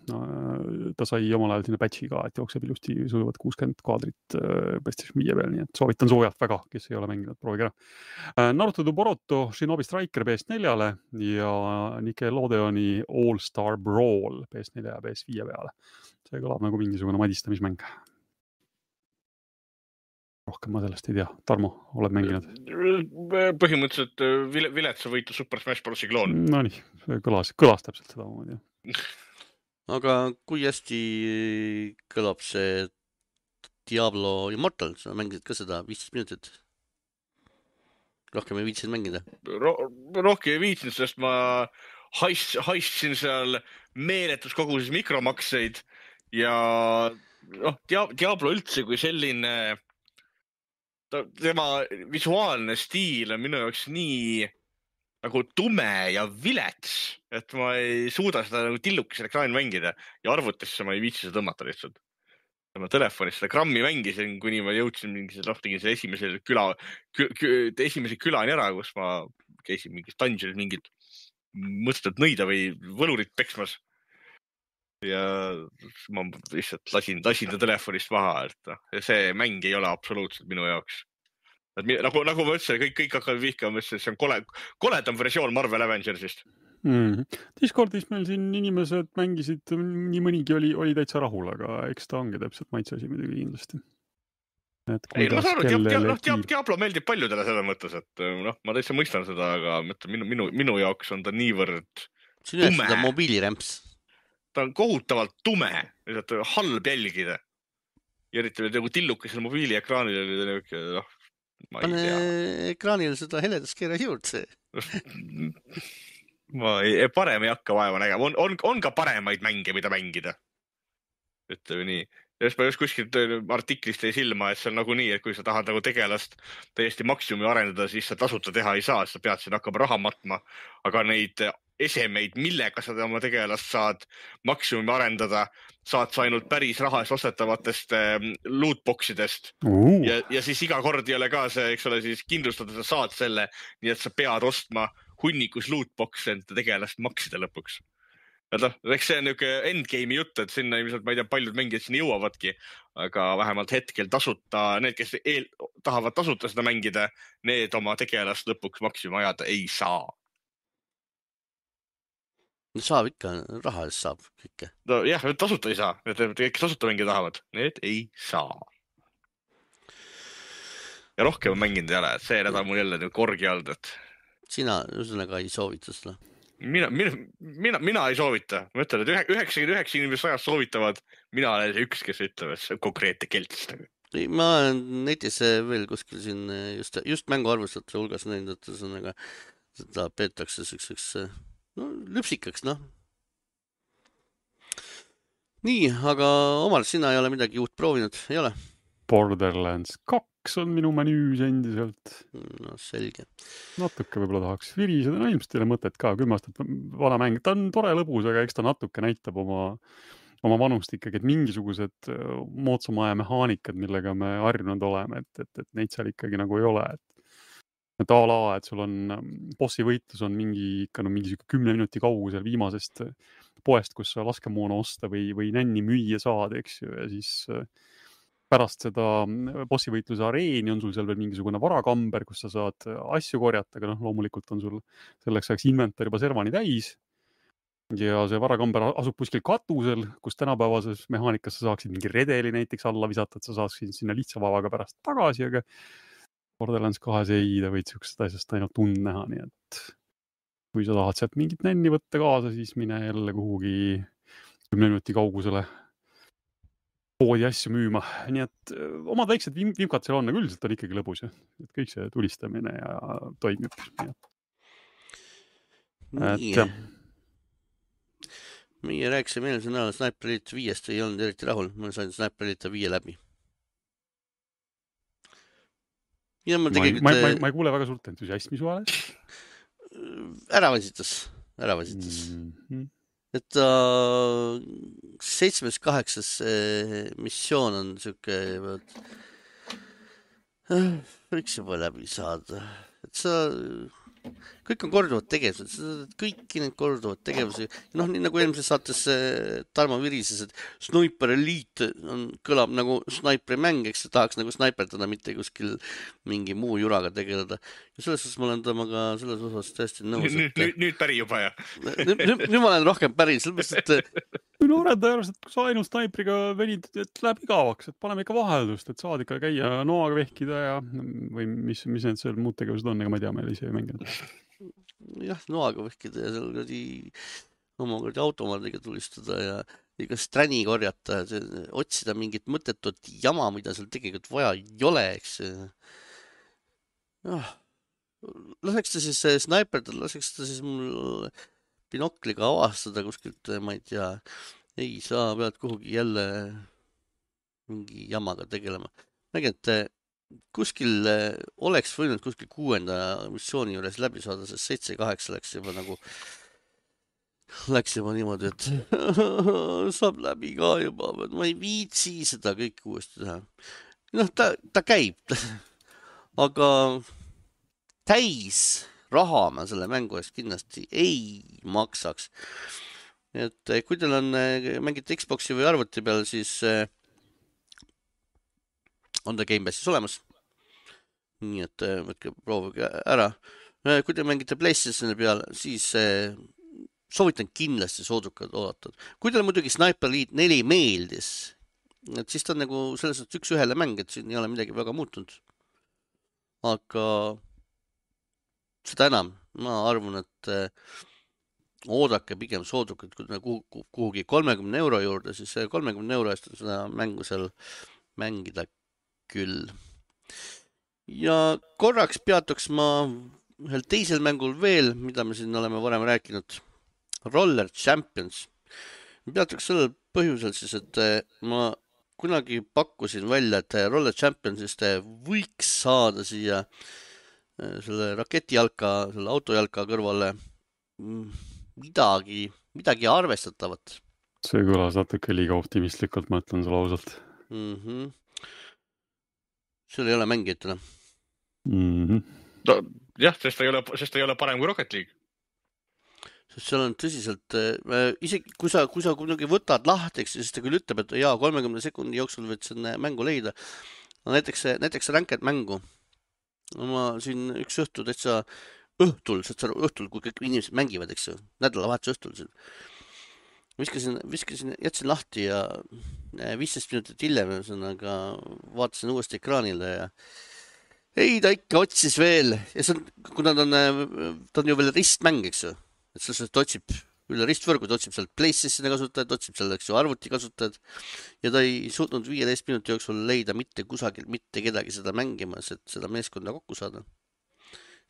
Ta sai omal ajal sinna patchi ka, et jookseb ilusti sujuvad kuuskümmend kaadrit PlayStation viie peal, nii et soovitan soojalt väga, kes ei ole mänginud, proovige ära. Naruto to Boruto, Shinobi Striker P S neljale ja Nickelodeoni All Star Brawl P S nelja ja P S viie peale. See kõlab nagu mingisugune madistamismäng. Rohkem ma sellest ei tea. Tarmo, oled mänginud? Põhimõtteliselt viletsa võitu Super Smash Brosi kloon. No nii, kõlas, kõlas täpselt seda moodi. Aga kui hästi kõlab see Diablo Immortal? Sa mängisid ka seda viisteist minutit? Rohkem ei viitsinud mängida? Ro rohkem ei viitsinud, sest ma haist, haistsin seal meeletus koguses mikromakseid ja noh, Diablo üldse kui selline tema visuaalne stiil on minu jaoks nii nagu tume ja vilets, et ma ei suuda seda nagu tillukesel ekraani mängida ja arvutisse ma ei viitsi seda tõmmata lihtsalt. Ma telefonis seda grammi mängisin, kuni ma jõudsin mingi, noh, tegin selle esimese küla, kü, kü, esimese külani ära, kus ma käisin mingis dungeonis mingit mõtted nõida või võlurit peksmas. Ja ma lihtsalt lasin, lasin ta telefonist maha, et see mäng ei ole absoluutselt minu jaoks. Et nagu, nagu ma ütlesin, kõik, kõik hakkavad vihkama, see on kole, koledam versioon Marvel Avengersist. Mm. Discordis meil siin inimesed mängisid, nii mõnigi oli, oli täitsa rahul, aga eks ta ongi täpselt maitseasi midagi kindlasti. Et ei, ma saan aru, Diablo, Diablo, Diablo meeldib paljudele seda mõttes, et noh, ma täitsa mõistan seda, aga minu, minu, minu jaoks on ta niivõrd siin tume. Seda mobiilirämps. Ta on kohutavalt tume, halb jälgida. Ja eriti nagu tillukesel mobiiliekraanil oli ta noh, ma ei tea. Ekraanil seda heledas keera juurde. ma ei, parem ei hakka vaeva nägema. On, on, on ka paremaid mänge, mida mängida. Ütleme nii. Ja siis ma just kuskilt artiklist ei silma, et see on nagu nii, et kui sa tahad nagu tegelast täiesti maksimumi arendada, siis sa tasuta teha ei saa, sa pead siin hakkama raha matma. Aga neid esemeid, millega sa oma tegelast saad maksimumi arendada, saad sa ainult päris raha eest ostetavatest lootboxidest uh. ja, ja siis iga kord ei ole ka see, eks ole, siis kindlustada sa saad selle, nii et sa pead ostma hunnikus lootbox enda tegelast maksida lõpuks. Noh, eks see on niisugune endgame'i jutt, et sinna ilmselt, ma ei tea, paljud mängijad sinna jõuavadki, aga vähemalt hetkel tasuta, need, kes eel, tahavad tasuta seda mängida, need oma tegelast lõpuks maksimumi ajada ei saa. Saab ikka, raha eest saab kõike. No jah, tasuta ei saa, kes tasuta mängida tahavad, need ei saa. Ja rohkem mängida ei ole, et see nädal mul jälle korgi olnud, et... Sina ühesõnaga ei soovita seda? Mina, mina, mina, mina ei soovita. Ma ütlen, et üheksakümmend üheksa inimest sajast soovitavad. Mina olen üks, kes ütleb, et see on konkreetne kelts. Ma olen netis veel kuskil siin just, just mänguarvustajate hulgas näinud, et sõnaga, seda peetakse selliseks no, lüpsikaks, noh. Nii, aga Omar, sina ei ole midagi uut proovinud, ei ole? Borderlands kaks on minu menüüs endiselt. No selge. Natuke võib-olla tahaks viriseda, no ilmselt ei ole mõtet ka, kümme aastat vana mäng. Ta on tore lõbus, aga eks ta natuke näitab oma, oma vanust ikkagi, et mingisugused moodsama aja mehaanikad, millega me harjunud oleme, et, et, et neid seal ikkagi nagu ei ole. Et, et a la, et sul on bossi võitlus on mingi, ikka no mingi kümne minuti kaugusel viimasest poest, kus sa laskemoona osta või, või nänni müüa saad, eks ju, ja siis pärast seda bossivõitluse areeni on sul seal veel mingisugune varakamber, kus sa saad asju korjata, aga noh, loomulikult on sul selleks ajaks inventar juba servani täis. Ja see varakamber asub kuskil katusel, kus tänapäevases mehaanikas sa saaksid mingi redeli näiteks alla visata, et sa saaksid sinna lihtsa vavaga pärast tagasi, aga Borderlands kahes ei, ta võid siuksest asjast ainult tund näha, nii et kui sa tahad sealt mingit nänni võtta kaasa, siis mine jälle kuhugi kümne minuti kaugusele poodi asju müüma. Nii et omad väiksed vimkad seal on, aga üldiselt on ikkagi lõbus. Et kõik see tulistamine ja toimib. Nii. Et, meie rääkisime eelmisel nädalal Sniper Elite viiest ei olnud eriti rahul. Ma sain Sniper Elite viie läbi. Ja ma, tegelikult... ma, ma, ma ei kuule väga suurt entusiasmi su alles. Ära väsitas. Ära väsitas. Mm-hmm. Et uh, seitsmes kaheksas eh, missioon on siuke äh, võiks juba läbi saada, et sa kõik on korduvad tegevused, kõiki need korduvad tegevusi, noh, nii nagu eelmises saates Tarmo virises, et Sniper Elite on, kõlab nagu snaipri mäng, eks sa tahaks nagu snaipertada, mitte kuskil mingi muu juraga tegeleda. Ja selles osas ma olen temaga selles osas tõesti nõus. Nüüd, nüüd, nüüd päri juba, jah. Nüüd, nüüd ma olen rohkem päri, sellepärast, et Minu arendaja arvas, et kui sa ainult snaipriga venid, et läheb igavaks, et paneme ikka vaheldust, et saad ikka käia noaga vehkida ja või mis, mis need seal muud tegevused on, ega ma ei tea, meil ise ei mänginud. Jah, noaga vehkida ja seal kõdi oma kõdi automaadiga tulistada ja iga sträni korjata, otsida mingit mõttetut jama, mida seal tegelikult vaja ei ole, eks. Oh. Laseks ta siis snaiperda, laseks ta siis mul binokliga avastada kuskilt, ma ei tea, ei, sa pead kuhugi jälle mingi jamaga tegelema. Nägin, et kuskil oleks võinud kuskil kuuenda missiooni juures läbi saada, sest seitse kaheksa läks juba nagu, läks juba niimoodi, et saab läbi ka juba, ma ei viitsi seda kõik uuesti teha. Noh, ta, ta käib, aga täis raha ma selle mängu eest kindlasti ei maksaks. Et kui teil on mängite Xboxi või arvuti peal, siis on ta Game Passis olemas. Nii et võtke proovige ära. Kui te mängite PlayStationi peal, siis soovitan kindlasti soodukad oodatud. Kui teil muidugi Sniper Elite neli meeldis, et siis ta on nagu selles suhtes üks ühele mäng, et siin ei ole midagi väga muutunud. Aga seda enam, ma arvan, et oodake pigem soodukad, kui me kuhugi kolmekümne euro juurde, siis kolmekümne euro eest on seda mängu seal mängida küll. Ja korraks peatuks ma ühel teisel mängul veel, mida me siin oleme varem rääkinud, Roller Champions. Peatuks sellel põhjusel siis, et ma kunagi pakkusin välja, et Roller Championsist võiks saada siia selle raketijalka, selle autojalka kõrvale midagi, midagi arvestatavat. See kõlas natuke liiga optimistlikult, ma ütlen sulle ausalt. Mm-hmm. Sul ei ole mängijat enam? Mm-hmm. No, jah, sest ta ei ole, sest ta ei ole parem kui Rocket League. Sest seal on tõsiselt, äh, isegi kui sa, kui sa kuidagi võtad lahteks, siis ta küll ütleb, et jaa, kolmekümne sekundi jooksul võid selle mängu leida. No näiteks, näiteks ranked mängu. Ma siin üks õhtu täitsa õhtul, õhtul, kui kõik inimesed mängivad, eks ju, nädalavahetuse õhtul siin. Viskasin, viskasin, jätsin lahti ja viisteist minutit hiljem, aga vaatasin uuesti ekraanile ja ei, ta ikka otsis veel. Ja see on, kuna ta on, ta on ju veel ristmäng, eks ju, et selles ta otsib üle ristvõrgu, ta otsib sealt PlayStationi kasutajad, otsib seal, eks ju, arvuti kasutajad ja ta ei suutnud viieteist minuti jooksul leida mitte kusagil, mitte kedagi seda mängimas, et seda meeskonda kokku saada.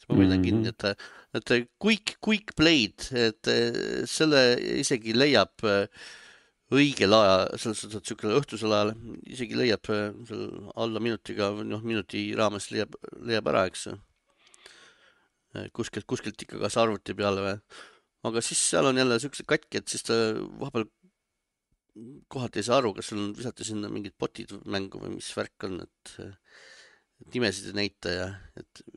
Siis ma võidan kinni, et, et quick, quick played, et selle isegi leiab õigel aja, selles suhtes, et sükele õhtusel ajal isegi leiab alla minutiga, noh, minuti raames leiab, leiab ära, eks. Kuskilt, kuskilt ikka kas arvuti peale või. Aga siis seal on jälle sükse katki, et siis ta vahepeal kohati ei saa aru, kas sul on visati sinna mingid botid mängu või mis värk on, et, et nimesid ei näita ja et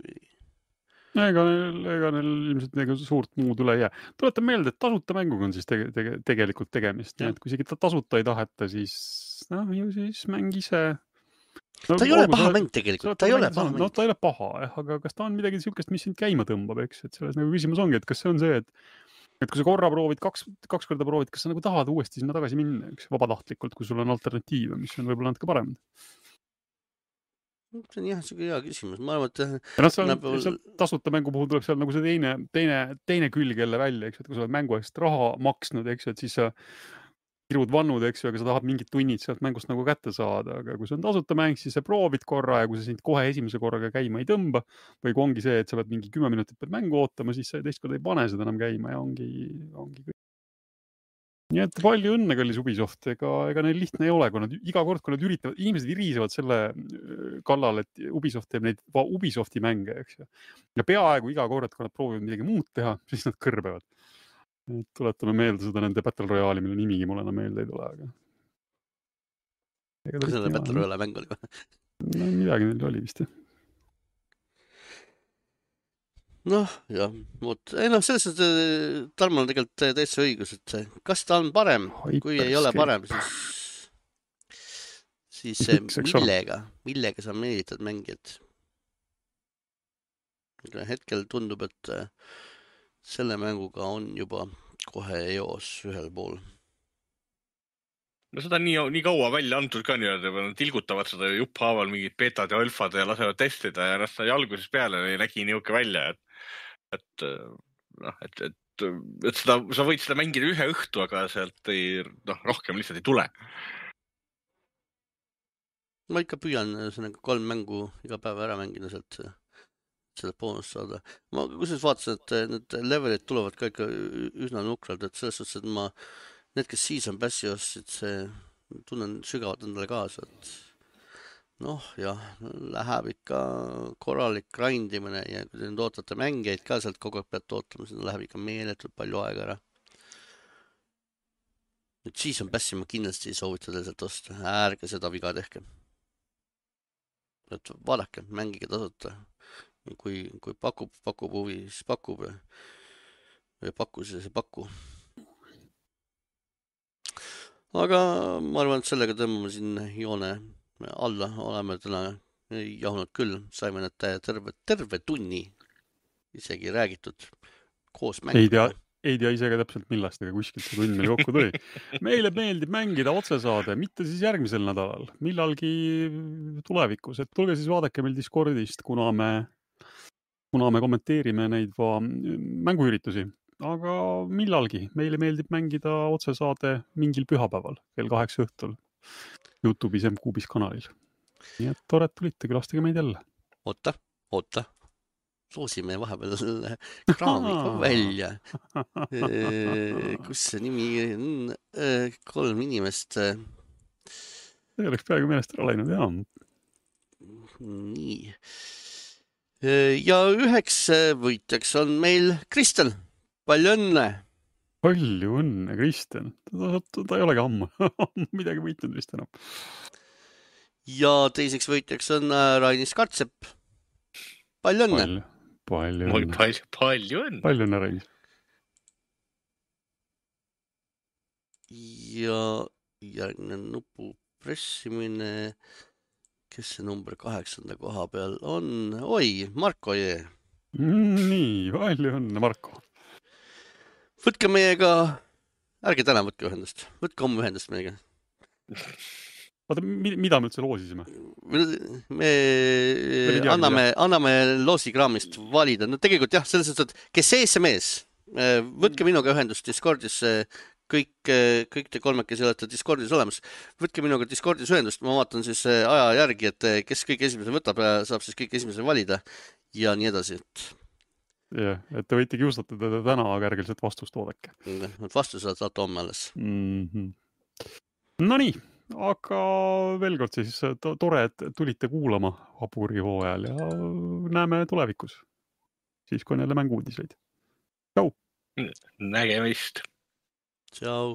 Ega neil, ega neil ilmselt nagu suurt muud üle ei jää. Tuletan meelde, et tasuta mänguga on siis tege, tege, tegelikult tegemist. Nii, et kui isegi ta tasuta ei taheta, siis, noh, ju siis mäng ise. No, ta ei ole paha mäng tegelikult, ta ei ole paha mäng. No ta ei ole paha, eh, aga kas ta on midagi sihukest, mis sind käima tõmbab, eks? Et selles nagu küsimus ongi, et kas see on see, et, et kui sa korra proovid, kaks, kaks korda proovid, kas sa nagu tahad uuesti sinna tagasi minna, eks, vabatahtlikult, kui sul on alternatiive, mis on võib-olla natuke parem. See on jah, see on hea küsimus. Ma arvan, et ja no, see on, näeb... seal tasuta mängu puhul tuleb seal nagu see teine, teine, teine külg jälle välja, eks, et kui sa oled mängu eest raha maksnud, eks, et siis sa kirud vannud, eks, aga sa tahad mingid tunnid sealt mängust nagu kätte saada, aga kui see on tasuta mäng, siis sa proovid korra ja kui sa sind kohe esimese korraga käima ei tõmba või kui ongi see, et sa pead mingi kümme minutit pead mängu ootama, siis sa teist korda ei pane seda enam käima ja ongi, ongi kõik. Nii et palju õnne, kallis Ubisoft, ega, ega neil lihtne ei ole, kui nad iga kord, kui nad üritavad, inimesed virisevad selle kallal, et Ubisoft teeb neid Ubisofti mänge, eks ju. Ja peaaegu iga kord, kui nad proovivad midagi muud teha, siis nad kõrbevad. Et tuletame meelde seda nende Battle Royale'i, mille nimigi mulle enam meelde ei tule, aga. Kas selle Battle Royale mäng oli? No midagi neil oli vist, jah. Noh, jah, muud. Ei noh, selles, et Tarmal on tegelikult täitsa õigus, et kas ta on parem, kui ei ole parem, siis, siis millega, millega sa meelitad mängijad. Hetkel tundub, et selle mänguga on juba kohe eos ühel pool. No seda on nii, nii kaua välja antud ka nii-öelda, nad tilgutavad seda jupphaaval mingid betad ja alfad ja lasevad testida ja nad alguses peale ei nägi niuke välja, et et, noh, et, et, et seda, sa võid seda mängida ühe õhtu, aga sealt ei, noh, rohkem lihtsalt ei tule. Ma ikka püüan kolm mängu iga päev ära mängida sealt, selle boonus saada. Ma kusjuures vaatasin, et need levelid tulevad ka ikka üsna nukralt, et selles suhtes, et ma, need, kes season passi ostsid, see tunnen sügavalt endale kaasa, et noh, jah, läheb ikka korralik grindimine ja kui te nüüd ootate mängijaid ka sealt kogu aeg pead ootama, siis läheb ikka meeletult palju aega ära. Nüüd season passi ma kindlasti ei soovita teil sealt osta, ärge seda viga tehke. Et vaadake, mängige tasuta. Kui, kui pakub, pakub huvi, siis pakub ja paku, siis ei paku. Aga ma arvan, et sellega tõmbame siin joone alla, oleme täna jahunud küll, saime need terve, terve tunni isegi räägitud koos mängida. Ei tea, ei tea ise ka täpselt millast, aga kuskilt see tund meil kokku tuli. Meile meeldib mängida otsesaade, mitte siis järgmisel nädalal, millalgi tulevikus, et tulge siis vaadake meil Discordist, kuna me, kuna me kommenteerime neid va mänguüritusi. Aga millalgi meile meeldib mängida otsesaade mingil pühapäeval, kell kaheksa õhtul. YouTube'is M-Kuubis kanalil. Nii et tore, et tulite, külastage meid jälle. Oota, oota. Soosime vahepeal selle kraami ka välja. Kus see nimi on? Kolm inimest. See oleks peaaegu meelest ära läinud, jah. Nii. Ja üheks võitjaks on meil Kristel. Palju õnne! Palju õnne, Kristjan. Ta, ta, ta ei olegi ammu midagi võitnud vist enam. Ja teiseks võitjaks on Rainis Kartsepp. Palju õnne. Palju, palju Moi, õnne. palju, palju õnne. Palju õnne, Rainis. Ja järgmine nupu pressimine. Kes see number kaheksanda koha peal on? Oi, Marko Jee. Nii, palju õnne, Marko. Võtke meiega, ärge täna võtke ühendust, võtke homme ühendust meiega. Vaata, mida me üldse loosisime? Me anname, anname loosikraamist valida. No tegelikult jah, selles suhtes, et kes sees see mees, võtke minuga ühendust Discordis, kõik, kõik te kolmekesi olete Discordis olemas. Võtke minuga Discordis ühendust, ma vaatan siis aja järgi, et kes kõik esimese võtab ja saab siis kõik esimese valida ja nii edasi, et jah, et te võite kiusata teda täna, aga ärge lihtsalt vastust oodake. Vastused saate homme alles. Mm-hmm. No nii, aga veel kord siis tore, et tulite kuulama Haburi hooajal ja näeme tulevikus. Siis, kui on jälle mängu uudiseid. Tšau! Nägemist! Tšau!